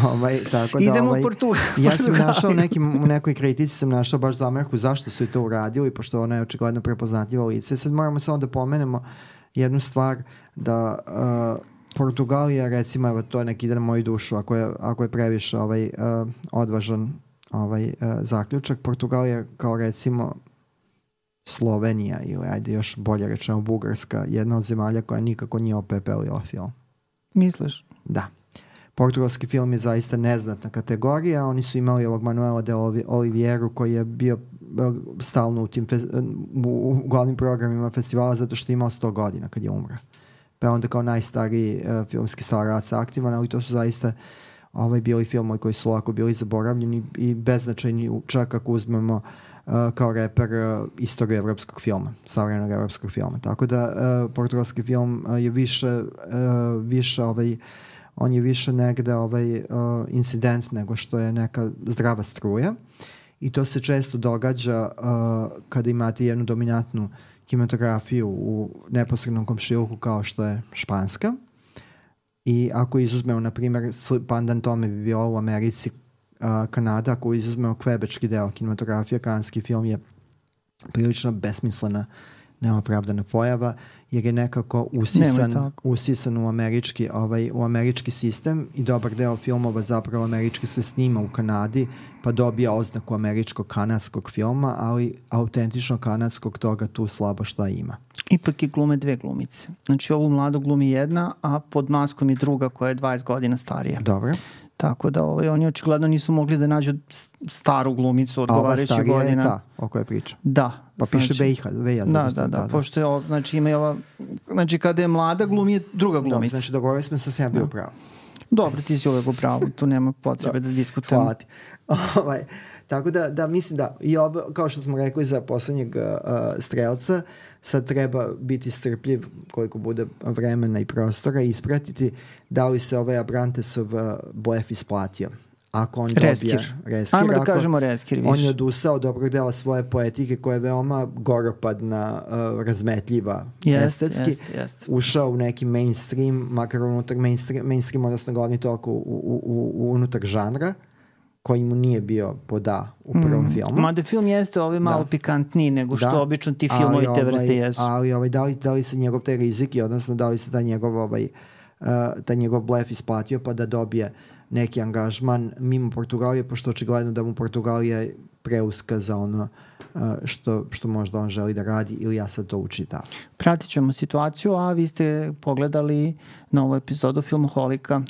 Ovaj, tako da, idemo ovaj, u Portu. Ja sam našao nekim, u nekoj kritici sam našao baš zamerku zašto su i to uradili, pošto ona je očigledno prepoznatljiva lice. Sad moramo samo da pomenemo jednu stvar, da uh, Portugalija, recimo, evo, to je neki ide na moju dušu, ako je, ako je previše ovaj, uh, odvažan ovaj, uh, zaključak. Portugalija kao recimo Slovenija ili ajde još bolje rečeno Bugarska, jedna od zemalja koja nikako nije opepelila film. Misliš? Da. Portugalski film je zaista neznatna kategorija. Oni su imali ovog Manuela de Olivieru koji je bio stalno u tim fe- u glavnim programima festivala zato što je imao sto godina kad je umro. Pa onda kao najstariji uh, filmski starac aktivan, ali to su zaista ovaj, bili filmovi koji su lako bili zaboravljeni i beznačajni, čak ako uzmemo uh, kao reper uh, istoriju evropskog filma, savremenog evropskog filma. Tako da uh, portugalski film uh, je više, uh, više ovaj, on je više negde ovaj, uh, incident nego što je neka zdrava struja i to se često događa uh, kada imate jednu dominantnu kinematografiju u neposrednom komšiluku kao što je španska i ako izuzmemo na primjer pandan tome bi bilo u Americi uh, Kanada, ako izuzmemo kvebečki deo kinematografije, kanadski film je prilično besmislena neopravdana pojava, jer je nekako usisan, usisan u američki, ovaj, u američki sistem i dobar deo filmova zapravo američki se snima u Kanadi, pa dobija oznaku američkog kanadskog filma, ali autentično kanadskog toga tu slabo šta ima. Ipak je glume dve glumice. Znači ovu mladu glumi jedna, a pod maskom je druga koja je dvadeset godina starija. Dobro. Tako da ovaj, oni očigledno nisu mogli da nađu staru glumicu odgovarajući godina. A ova starija je ta o kojoj priča. Da. Pa znači, piše Veja. Veja da, da, da, da, pošto je ova, znači ima i ova, znači kada je mlada glumi je druga glumica. Dobro, znači dogovorili smo se sebi da. upravo. Dobro, ti si uvek u pravu, tu nema potrebe da diskutujemo. Hvala ti. Ovaj, tako da, da mislim da i ovo, kao što smo rekli za poslednjeg uh, strelca, sad treba biti strpljiv koliko bude vremena i prostora i ispratiti da li se ovaj Abrantesov blef isplatio. Ako on reskir. dobije reskir, ajmo da ako kažemo reskir više. On je odustao dobrog dela svoje poetike koja je veoma goropadna, uh, razmetljiva, jest, estetski. Jest, jest. Ušao u neki mainstream, makar unutar mainstream, mainstream odnosno glavni tok u, u, u, unutar žanra, koji mu nije bio poda u prvom mm. filmu. Mada film jeste ovaj malo da. pikantniji nego što da. obično ti filmovi te vrste ovaj, jesu. Ali ovaj, da, li, da li se njegov te riziki, odnosno da li se ta njegov, ovaj, uh, ta njegov blef isplatio pa da dobije neki angažman mimo Portugalije, pošto očigledno da mu Portugalija preuska za ono uh, što, što možda on želi da radi ili ja sad to učitam. Pratit ćemo situaciju, a vi ste pogledali novu epizodu Filmoholika.